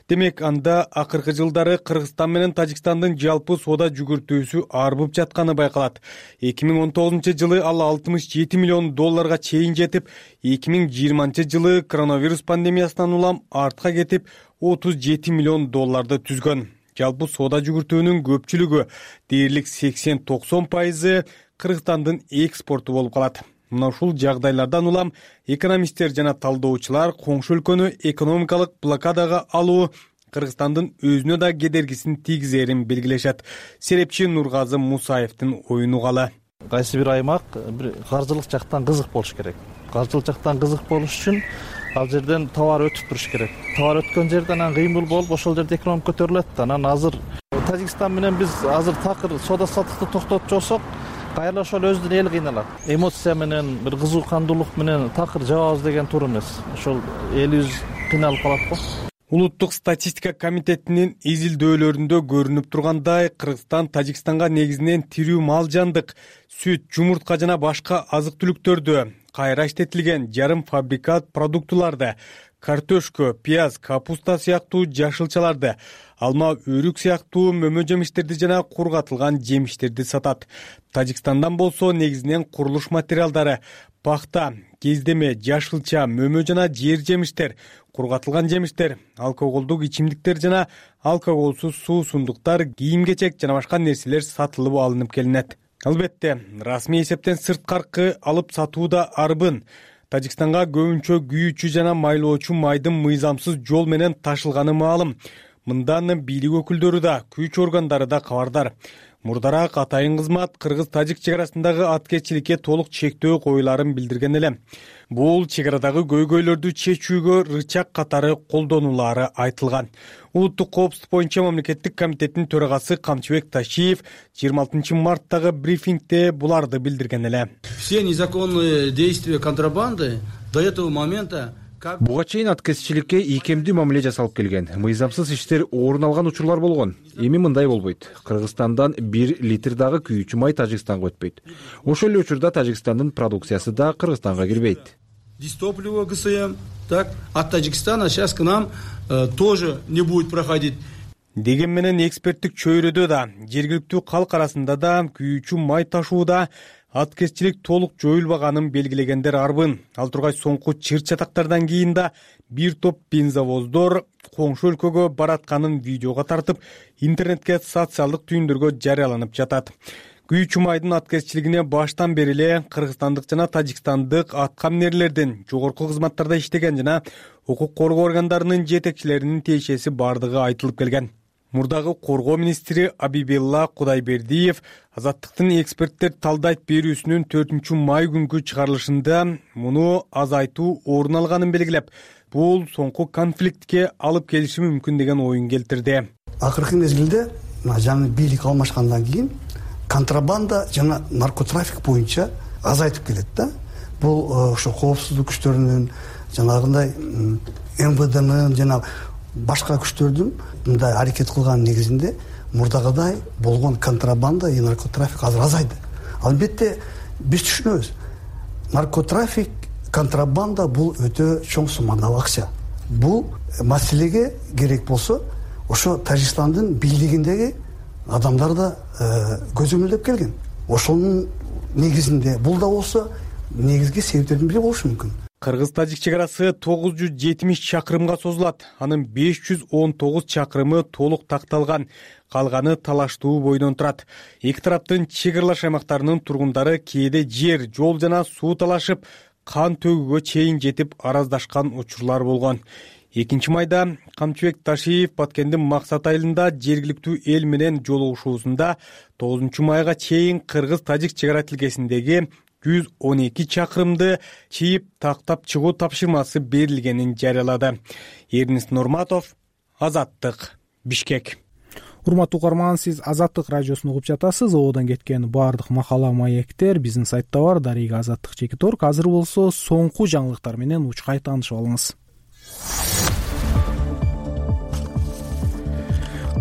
Демек, анда акыркы жылдары Кыргызстан менен Тажикстандын жалпы соода жүгүртүүсү арбып жатканы байкалат. 2019 жылы ал $67 миллион чейин жетип, 2020 жылы коронавирус пандемиясынан улам артка кетип, $37 миллион түзгөн. Жалпы соода жүгүртүүнүн көпчүлүгү, дээрлик 80-90% Кыргызстандын экспорту болуп калат. Мына ушул жагдайлардан улам экономисттер жана талдоочулар коңшу өлкөнү экономикалык блокадага алуу Кыргызстандын өзүнө да кедергисин тийгизерин белгилешет. Серепчи Нургазы Мусаевдин оюн угалы. Кайсы бир аймак каржылык жактан кызык болуш керек. Каржылык жактан кызык болуш үчүн ал жерден товар өтүп туруш керек. Товар өткөн жерден анан кыймыл болуп, ошол жерде экономика көтөрүлөт. Анан азыр Тажикстан менен биз азыр такыр соода саттыкты токтотуп жиберсек, кайра ошол өзүнүн эли кыйналат. Эмоция менен, бир кызуу кандуулук менен такыр жабабыз деген туура эмес. Ошол элибиз кыйналып калат го. Улуттук статистика комитетинин изилдөөлөрүндө көрүнүп тургандай, Кыргызстан Тажикстанга негизинен тирүү мал жандык, сүт, жумуртка жана башка азык-түлүктөрдү, кайра иштетилген жарым фабрикат продуктуларды, картошка, пияз, капуста сыяктуу жашылчаларды, алма, өрүк сыяктуу мөмө жемиштерди жана кургатылган жемиштерди сатат. Тажикстандан болсо негизинен курулуш материалдары, пахта, кездеме, жашылча, мөмө жана жер жемиштер, кургатылган жемиштер, алкоголдук ичимдиктер жана алкоголсуз суусундуктар, кийим-кечек жана башка нерселер сатылып алынып келинет. Албетте, расмий эсептен сырткаркы алып сатуу да арбын. Тажикстанга көбүнчө күйүүчү жана майлоочу майдын мыйзамсыз жол менен ташылганы маалым. Мындан бийлик өкүлдөрү да, күч органдары да кабардар. Мурдараак атайын кызмат Кыргыз-Тажик чек арасындагы аткезчиликке толук чектөө коюларын билдирген эле. Бул чек арадагы көйгөйлөрдү чечүүгө рычаг катары колдонулары айтылган. Улуттук коопсуздук боюнча мамлекеттик комитеттин төрагасы Камчыбек Ташиев 26 марттагы брифингде буларды билдирген эле. Все незаконные действия контрабанды до этого момента буга чейин аткезчиликке ийкемдүү мамиле жасалып келген. Мыйзамсыз иштер орун алган учурлар болгон. Эми мындай болбойт. Кыргызстандан 1 литр дагы күйүүчү май Тажикстанга өтпөйт. Ошол эле учурда Тажикстандын продукциясы да Кыргызстанга кирбейт. Дистопливо ГСМ, так, от Таджикистана сейчас к нам тоже не будет проходить. Деген менен эксперттик чөйрөдө да, жергиликтүү калк арасында да күйүүчү май ташууда аткезчилик толук жоюлбаганын белгилегендер арбын. Ал тургай соңку чыр-чатактардан кийин да бир топ бензовоздор коңшу өлкөгө баратканын видеого тартып, интернетке социалдык түйүндөргө жарыяланып жатат. Күйүүчү майдын аткезчилигине баштан бери эле кыргызстандык жана тажикстандык аткаминерлердин, жогорку кызматтарда иштеген жана укук коргоо органдарынын жетекчилеринин тиешеси бардыгы айтылып келген. Мурдагы коргоо министри Абибилла Кудайбердиев Азаттыктын эксперттер талдайт берүүсүнүн 4-май күнгү чыгарылышында муну азайтуу орун алганын белгилеп, бул соңку конфликтке алып келиши мүмкүн деген оюн келтирди. Акыркы мезгилде жаңы бийлик алмашкандан кийин контрабанда жана наркотрафик боюнча азайтып келет да. Бул ошо коопсуздук күчтөрүнүн, жанагындай МВДнын жана башка күчтөрдүн мындай аракет кылган негизинде мурдагыдай болгон контрабанда и наркотрафик азыр азайды. Албетте биз түшүнөбүз. Наркотрафик, контрабанда бул өтө чоң суммадагы акча. Бул маселеге керек болсо ошо Тажикстандын бийлигиндеги адамдар да көзөмөлдөп келген. Ошонун негизинде бул да болсо негизги себептердин бири болушу мүмкүн. Кыргыз-Тажик чек арасы 970 чакырымга созулат. Анын 519 чакырымы толук такталган, калганы талаштуу бойдон турат. Эки тараптын чек аралаш аймактарынын тургундары кээде жер, жол жана суу талашып, кан төгүүгө чейин жетип араздашкан учурлар болгон. 2 майда Камчыбек Ташиев Баткендин Максат айылында жергиликтүү эл менен жолугушуусунда 9 майга чейин Кыргыз-Тажик чек ара тилкесиндеги 112 чакырымды чийип тактап чыгуу тапшырмасы берилгенин жарыялады. Эрнис Нурматов, Азаттык, Бишкек. Урматтуу угарман, сиз Азаттык радиосун угуп жатасыз. Ободон кеткен баардык макала, маектер биздин сайтта бар. Дарыга Азаттык _. Азыр болсо соңку жаңылыктар менен учкай таанышып алыңыз.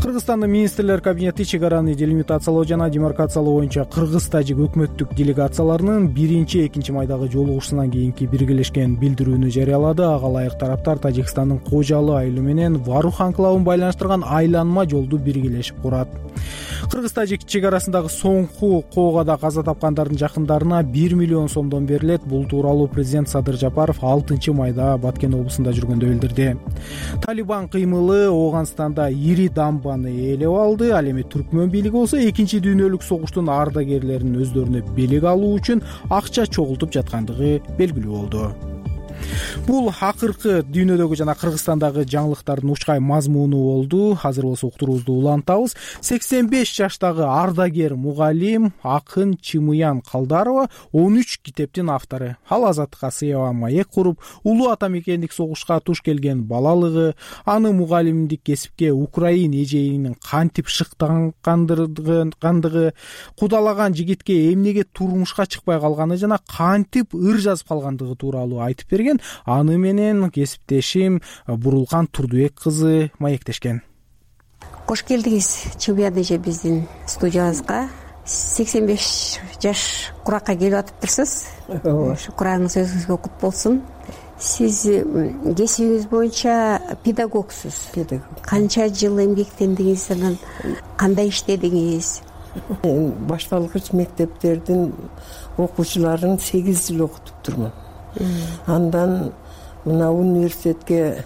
Кыргызстандын министрлер кабинети чек араны делимитациялоо жана демаркациялоо боюнча Кыргыз-Тажик өкмөттүк делегацияларынын 1-2 майдагы жолугушуусунан кийинки биргелешкен билдирүүнү жарыялады. Ага ылайык тараптар Тажикстандын Кожалы айылы менен Варух анклавын байланыштырган айланма жолду биргелешип курат. Кыргыз-Тажик чек арасындагы соңку коогада каза тапкандардын жакындарына 1 миллион сомдон берилет. Бул тууралуу президент Садыр Жапаров 6 майда Баткен облусунда жүргөндө билдирди. Талибан кыймылы Ооганстанда ири дамбаны ээлеп алды. Ал эми түркмөн бийлиги болсо экинчи дүйнөлүк согуштун ардагерлерин өздөрүнө белек алуу үчүн акча чогултуп жаткандыгы белгилүү болду. Бул акыркы дүйнөдөгү жана Кыргызстандагы жаңылыктардын учкай мазмуну болду. Азыр болсо уктуруубузду улантабыз. 85 жаштагы ардагер мугалим Акын Чымыян Калдарова 13 китептин автору. Ал азаттыкка сыяба маек куруп, улуу ата мекендик согушка туш келген балалыгы, аны мугалимдик кесипке Украин эжейинин кантип шыктангандыгы, кудалаган жигитке эмнеге турмушка чыкпай калганы жана кантип ыр жазып калгандыгы тууралуу айтып берген. Аны менен кесиптешим Бурулкан Турдубек кызы маектешкен. Кош келдиңиз Чымыян эже биздин студиябызга. 85 жаш куракка келип атыптырсыз. Ошо курагыңыз өзүңүзгө кут болсун. Сиз кесибиңиз боюнча педагогсуз. Канча жыл эмгектендиңиз, анан кандай иштедиңиз? Башталгыч мектептердин окуучуларын 8 жыл окутуптурмун. Андан мына университетке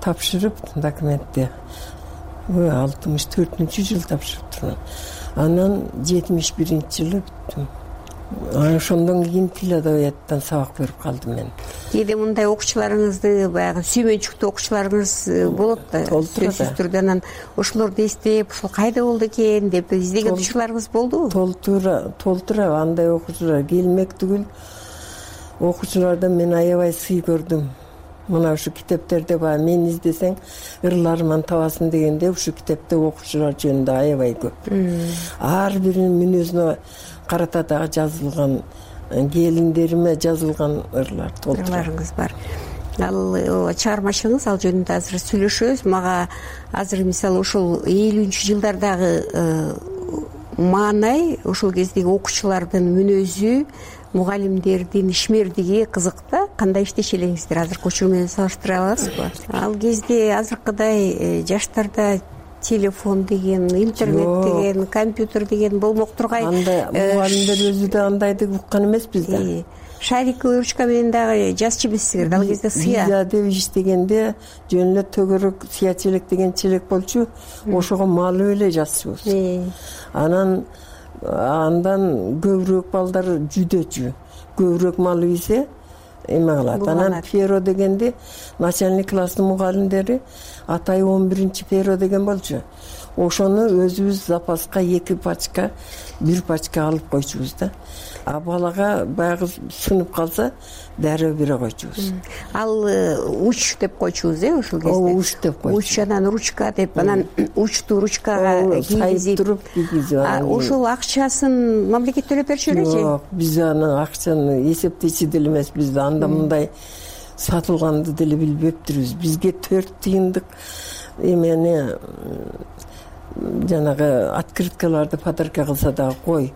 тапшырып документти 64-жыл тапшырыптырмын. Анан 71-жылы бүттүм. Ошондон кийин тил адабияттан сабак берип калдым мен. Кээде мындай окуучуларыңызды баягы сүймөнчүктүү окуучуларыңыз болот да. Сөзсүз түрдө анан ошолорду эстеп, ушул кайда болду экен деп издеген учурларыңыз болдубу? Толтура андай окуучулар келмек түгүл. Окуучулардан мен аябай сый көрдүм. Мына ушу китептерде баягы мен издесең ырларыман табасың дегенде ушу китепте окуучулар жөнүндө аябай көп. Ар биринин мүнөзүнө карата дагы жазылган, келиндериме жазылган ырлар толтурларыңыз бар. Ал чыгармачылыгыңыз, ал жөнүндө азыр сүйлөшөбүз. Мага азыр мисалы ошол 50-жылдардагы маанай, ошол кездеги окуучулардын мүнөзү, мугалимдердин ишмердиги кызык да. Кандай иштеши элеңиздер азыр көчүрүү менен салыштыра аласызбы? Ал кезде азыркыдай жаштарда телефон деген, интернет деген, компьютер деген болмок тургай. Андай мугалимдер өзү да андайды уккан эмеспиз да. Шариковый ручка менен дагы жазчу эмессиңер. Ал кезде сыя. Виза деп иштегенде жөн эле төгөрөк сыя челек деген челек болчу. Ошого малып эле жазчубуз. Андан көбүрөөк балдар жүдөчү. Көбүрөөк малып ийсе эме кылат. Анан перо дегенде начальник класстын мугалимдери атай 11-чи перо деген болчу. Ошону өзүбүз запаска 2 пачка, 1 пачка алып койчубуз да. А балага баягы сынып калса дароо бере койчубуз. Ал уч деп койчубуз ошол кезде. Уч деп койчу. Уч анан ручка деп, анан учту ручкага кийгизип туруп кийгизип. Ошол акчасын мамлекет төлөп берчү белечи? Жок, биз аны акчаны эсептечи деле эмеспиз да. Анда мындай сатылганды деле билбептирбиз. Бизге 4 тыйындык эмени жанагы открыткаларды подарка кылса дагы кой.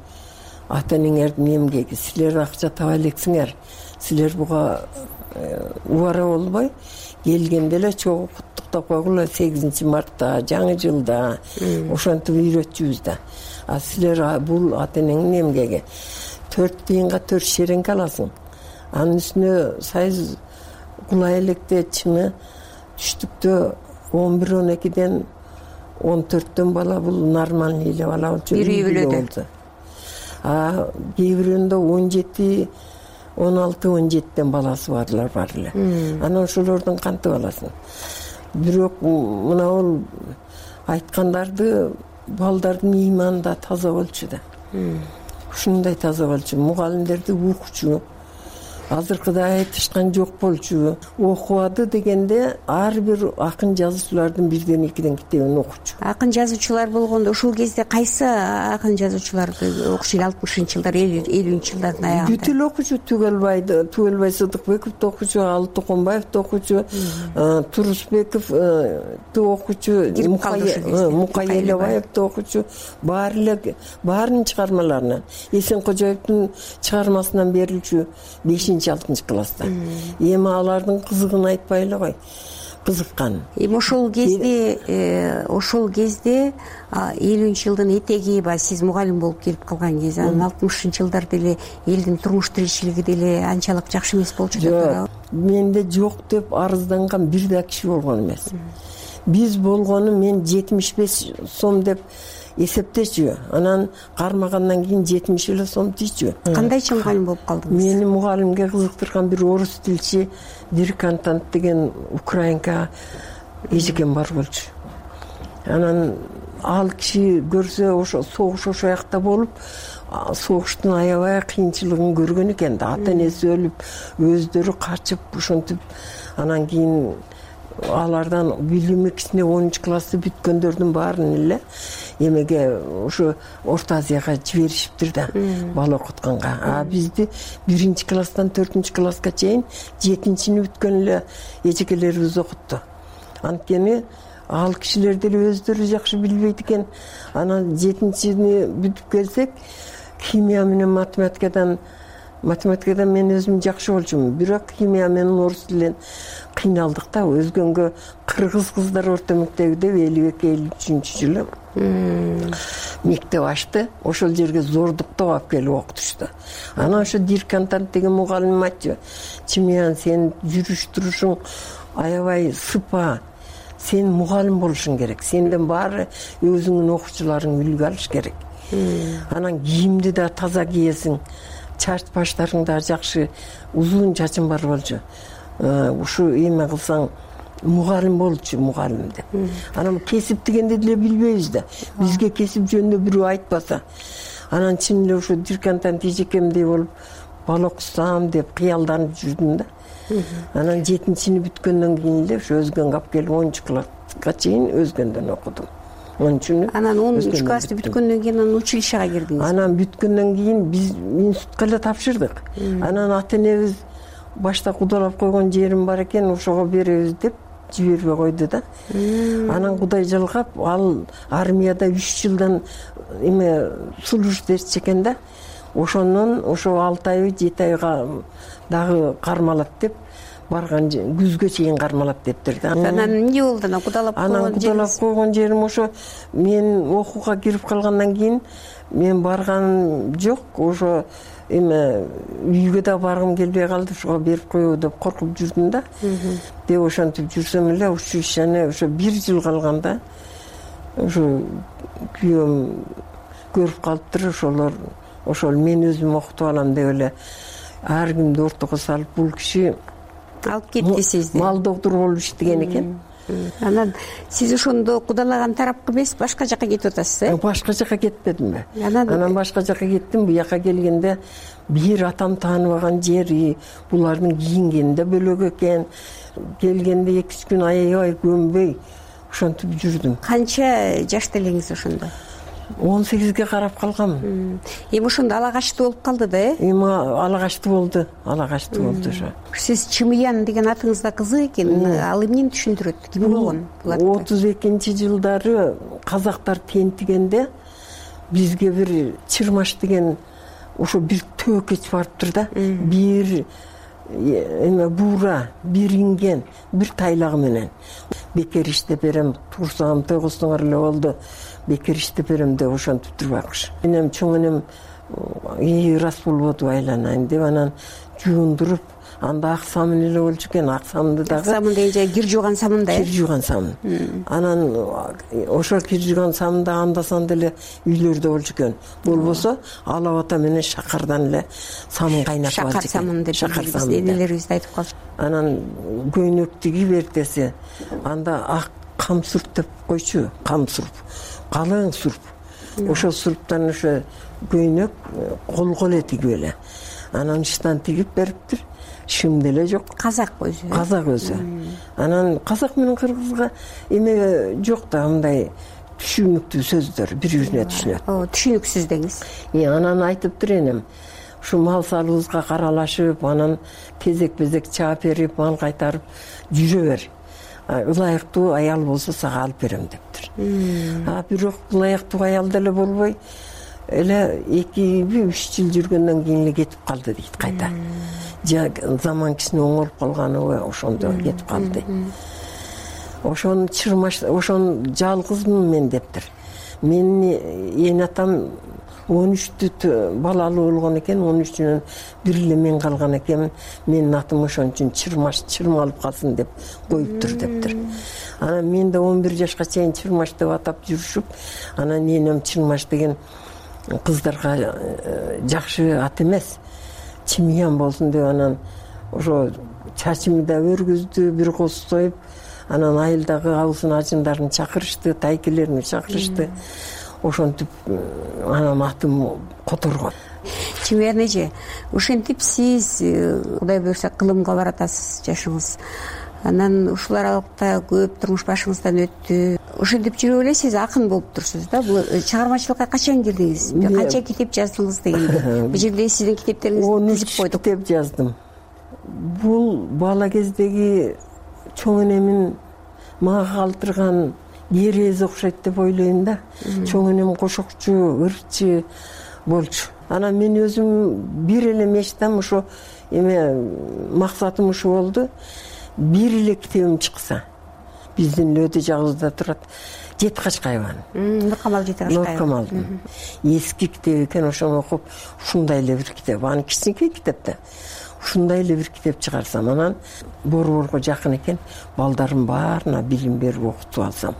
Ата-энеңердин эмгеги, силер акча таба элексиңер. Силер буга убара болбой келгенде эле чогуу куттуктап койгула 8 мартта, жаңы жылда. Ошентип үйрөтчүбүз да. А силер бул ата-энеңдин эмгеги 4 тыйынга 4 шереңке аласың. анын үстүнө союз кулай электе чыңы түштүктө 11-12ден 14төн бала бул нормальный эле бала болчу. Бир үй бүлөдө. Кээ бирөөнүндө 17, 16, 17ден баласы барлар бар эле. Анан ошолордун кантип аласың? Бирок мына ол айткандарды балдардын ыйманы да таза болчу да. Ушундай таза болчу. Мугалимдерди укчу. Азыркыдай айтышкан жок болчу. Окубады дегенде ар бир акын жазуучулардын бирден экиден китебин окучу. Акын жазуучулар болгондо ушул кезде кайсы акын жазуучуларды окуш эле 60-жылдар, 50-жылдардын аягында? Бүт эле окучу. Түгөлбай Сыдыкбековду окучу, Алы Токонбаевди окучу, Турусбековду окучу, Мукай Элебаевди окучу. Баарынын чыгармаларынан. Эсенкожоевдун чыгармасынан берилчү 5-6 класста. Эми алардын кызыгын айтпай эле кой. Кызыккан. Ошол кезде 50-жылдын этеги ба сиз мугалим болуп келип калган кезде, анан 60-жылдарда эле элдин турмуш тиричилиги деле анчалык жакшы эмес болчу да. Менде жок деп арызданган бир да киши болгон эмес. Биз болгону мен 75 сом деп эсептечү. Анан кармагандан кийин 70 эле сом тийчү. Кандайчы мугалим болуп калдыңыз? Мени мугалимге кызыктырган бир орус тилчи Диркантант деген украинка эжекен бар болчу. Анан ал киши көрсө ошо согуш ошо жакта болуп, согуштун аябай кыйынчылыгын көргөн экен да. Ата энеси өлүп, өздөрү качып, ушинтип анан кийин алардан билими кичине 10 классты бүткөндөрдүн баарын эле эмеге ошо Орто Азияга жиберишиптир да, бала окутканга. Бизди 1-класстан 4-класска чейин 7-чини бүткөн эле эжекелерибиз окутту. Анткени ал кишилер деле өздөрү жакшы билбейт экен. Анан 7-чини бүтүп келсек, химия менен математикадан мен өзүм жакшы болчумун. Бирок химия менен орус тилинен кыйналдык да. Өзгөнгө кыргыз кыздар орто мектебиде 52-53-жылы мектеп ачты. Ошол жерге зордуктап алып келип окутушту. Анан ошо Диркантант деген мугалим айтчу: "Чимиян, сен жүрүш турушуң аябай сыпа. Сен мугалим болушуң керек. Сенден баары өзүңдүн окуучуларың үлгү алыш керек. Анан кийимди да таза кийесиң. Чач баштарың да жакшы, узун чачың бар болчу. Ушу эме кылсаң мугалим болчу, мугалим деп." Анан кесип дегенди деле билбейбиз да. Бизге кесип жөнүндө бирөө айтпаса. Анан чын эле ошо Диркантант эжекемдей болуп бала окусам деп кыялданып жүрдүм да. Анан 7-чини бүткөндөн кийин эле ошо өзгөнгө алып келип 10-класска чейин өзгөндөн окудум. Анан 10 классты бүткөндөн кийин анан училищага кирдиңиз? Анан бүткөндөн кийин биз институтка эле тапшырдык. Анан ата энебиз башта кудалап койгон жерим бар экен, ошого беребиз деп жибербей койду да. Анан Кудай жалгап, ал армияда 3 жылдан эме службеч экен да. Ошондон ошо 6 ай 7 айга дагы кармалат деп барган, күзгө чейин кармалат дептир да. Анан эмне болду? Анан кудалап койгон жерим ошо мен окууга кирип калгандан кийин мен барганым жок. Ошо эме үйгө да баргым келбей калды. Ошого берип коебу деп коркуп жүрдүм да. Деп ошентип жүрсөм эле училищени ошо 1 жыл калганда ошо күйөөм көрүп калыптыр. Ошол мен өзүм окутуп алам деп эле ар кимди ортого салып, бул киши алып кетти сизди. Мал доктор болуп иштеген экен. Анан сиз ошондо кудалаган тарапка эмес, башка жака кетип атасыз, Башка жака кетпедимби? Анан башка жака кеттим. Буяка келгенде бир атам тааныбаган жери, булардын кийингени да бөлөк экен. Келгенде 2-3 күн аябай көнбөй ошентип жүрдүм. Канча жашта элеңиз ошондо? 18ге карап калгам. Эми ошондо ала качтуу болуп калды да, Эми ала качтуу болду. Ошо. Сиз Чимиян деген атыңыз да кызык экен. Ал эмнени түшүндүрөт? Ким болгон? 32-жылдары казактар тентигенде бизге бир Чырмаш деген ошо бир төөкөч барыптыр да. Бир эме буура, бир инген, бир тайлагы менен. Бекер иштеп берем, турсам тойгосуңар эле болду. Бекер иштеп берем деп ошентип турбакчы. Менен чоң энем рас болбодубу айланайын деп анан жуундуруп, анда ак самын эле болчу экен. Ак самынды дагы самын дегенде кир жууган самын да. Кир жууган самын. Анан ошол кир жууган самын да анда-санда эле үйлөрдө болчу экен. Болбосо алабата менен шакардан эле самын кайнатып алчу экен. Шакар самын деп энелерибиз айтып калчу. Анан көйнөк тигип эртеси анда ак кам сурп деп койчу. Кам сурп, калың сурп. Ошол сурптан ошо көйнөк колго эле тигип эле. Анан иштан тигип бериптир. Шым деле жок. Казак өзү. Казак өзү. Анан казак менен кыргызга эме жок да, мындай түшүнүктүү сөздөр бири-бирине түшүнөт. Түшүнүксүз деңиз. Анан айтыптыр энем. Ушу мал салыбызга каралашып, анан кезек-безек чаап берип, мал кайтарып жүрө бер. Ылайыктуу аял болсо сага алып берем дептир. Бирок ылайыктуу аял деле болбой эле 2-3 жыл жүргөндөн кийин эле кетип калды дейт кайта. Заман кичине оңолуп калганыбы ошондо кетип калды. Ошону жалгызмын мен дептир. Менин эне атам 13 балалуу болгон экен, 13-үнөн бир эле мен калган экенмин. Менин атым ошон үчүн чырмалып калсын деп коюптур дептир. Анан мен да 11 жашка чейин чырмаш деп атап жүрүшүп, анан энем чырмаш деген кыздарга жакшы ат эмес, чимиян болсун деп анан ошо чачымды да өргүздү, бир коз союп, анан айылдагы абысын ажындарын чакырышты, тайкелерин чакырышты. Ошентип анан атым которгон. Чимиян эже, ошентип сиз Кудай буйрса кылымга баратасыз жашыңыз. Анан ушул аралыкта көп турмуш башыңыздан өттү. Ошентип жүрүп эле сиз акын болуп турсуз да. Бул чыгармачылыкка качан кирдиңиз? Канча китеп жаздыңыз дегенде? Бул жерде сиздин китептериңизди тизип койдук. Китеп жаздым. Бул бала кездеги чоң энемин мага калтырган керези окшойт деп ойлойм да. Чоң энем кошокчу, ырчы болчу. Анан мен өзүм бир эле мечтам ошо максатым ушу болду. Бир эле китебим чыкса. Биздин өтө жагыбызда турат. Жеткачкай айбан. Нуркамал Жеткачкай. Нуркамал. Эски китеп экен, ошону окуп, ушундай эле бир китеп, аны кичинекей китеп да. Ушундай эле бир китеп чыгарсам, анан борборго жакын экен, балдардын баарына билим берип окутуп алсам.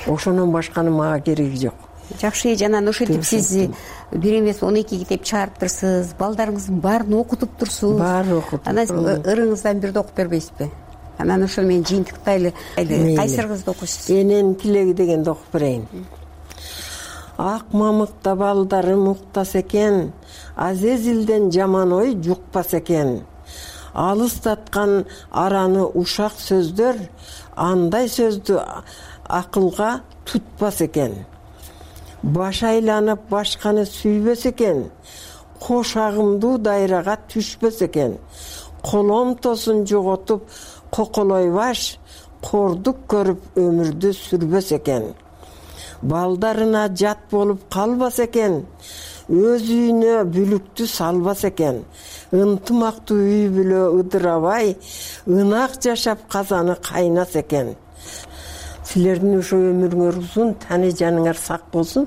Ошонун башканы мага кереги жок. Жакшы, жанан ошентип сиз бир эмес 12 китеп чыгарыптырсыз, балдарыңыздын баарын окутуп турсуз. Баарын окутуп. Анан ырыңыздан бирди окуп бербейсизби? Анан ошол менен жыйынтыктайлы кайсырыңызды окуйсуз? Эненин тилеги дегенди окуп берейин. Ак мамыкта балдарым уктаса экен, Азезилден жаман ой жукпаса экен. Алыстаткан араны ушак сөздөр, андай сөздү акылга тутпас экен. Баш айланып башканы сүйбөс экен. Кош агымдуу дайрага түшпөс экен. Коломтосун жоготуп коколой баш, кордук көрүп өмүрдү сүрбөс экен. Балдарына жат болуп калбас экен. Өз үйүнө бүлүктү салбас экен. Ынтымактуу үй бүлө ыдырабай, ынак жашап казаны кайнас экен. Силердин ошо өмүрүңөр узун, тани жаныңар сак болсун.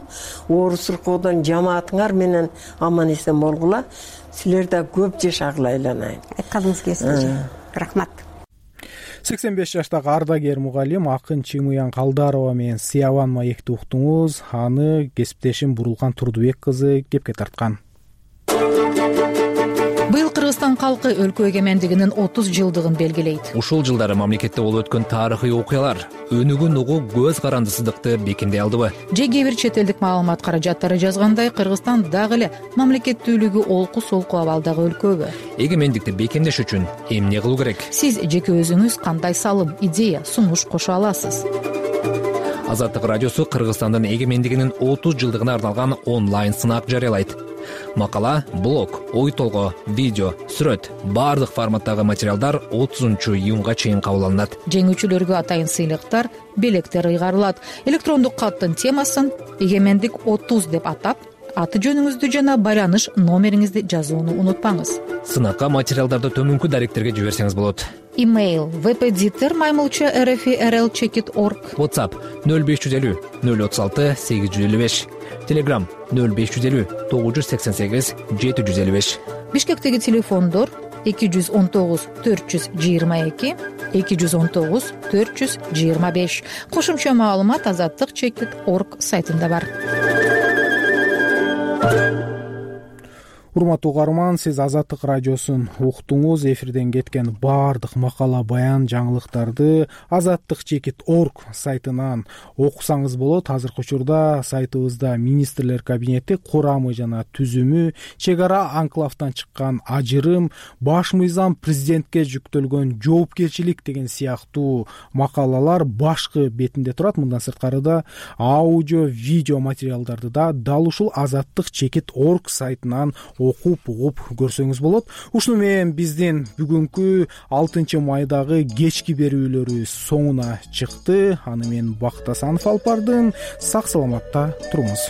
Оору сыркоодон жамаатыңар менен аман эсен болгула. Силер да көп жашагыла айланайын. Айтканыңыз келсин. Рахмат. 85 жаштагы ардагер мугалим акын Чимуян Калдарова менен Сыябан маекти уктуңуз. Аны кесиптешим Бурулкан Турдубек кызы кепке тарткан. Быйыл Кыргызстан калкы өлкө эгемендигинин 30 жылдыгын белгилейт. Ушул жылдары мамлекетте болуп өткөн тарыхый окуялар өнүгүн угуу көз карандысыздыкты бекемдей алдыбы? Же кээ бир чет элдик маалымат каражаттары жазгандай, Кыргызстан дагы эле мамлекеттүүлүгү олку-солку абалдагы өлкөбү? Эгемендикти бекемдеш үчүн эмне кылуу керек? Сиз жеке өзүңүз кандай салым, идея, сунуш кошо аласыз? Азаттык радиосу Кыргызстандын эгемендигинин 30 жылдыгына арналган онлайн сынак жарыялайт. Макала, блог, ой толгоо, видео, сүрөт, баардык форматтагы материалдар 30-июнга чейин кабыл алынат. Жеңүүчүлөргө атайын сыйлыктар, белектер ыйгарылат. Электрондук каттын темасын эгемендик 30 деп атап, аты жөнүңүздү жана байланыш номериңизди жазууну унутпаңыз. Сынакка материалдарды төмөнкү даректерге жиберсеңиз болот. Имейл vpeditor@rfi.rl.org. WhatsApp 0550 036 855. Telegram 0550 988 755. Бишкектеги телефондор 219 422 219 425. Кошумча маалымат azattik.org сайтында бар. Урматтуу угарман, сиз Азаттык радиосун уктуңуз. Эфирден кеткен баардык макала, баян, жаңылыктарды azattik.org сайтынан окусаңыз болот. Азыркы учурда сайтыбызда министрлер кабинети курамы жана түзүмү, чек ара анклавдан чыккан ажырым, баш мыйзам, президентке жүктөлгөн жоопкерчилик деген сыяктуу макалалар башкы бетинде турат. Мындан сырткары да аудио, видео материалдарды да дал ушул azattik.org сайтынан окуп угуп көрсөңүз болот. Ушуну менен биздин бүгүнкү 6 майдагы кечки берүүлөрү соңуна чыкты. Аны мен Бактасанов алып бардым. Сак саламатта туруңуз.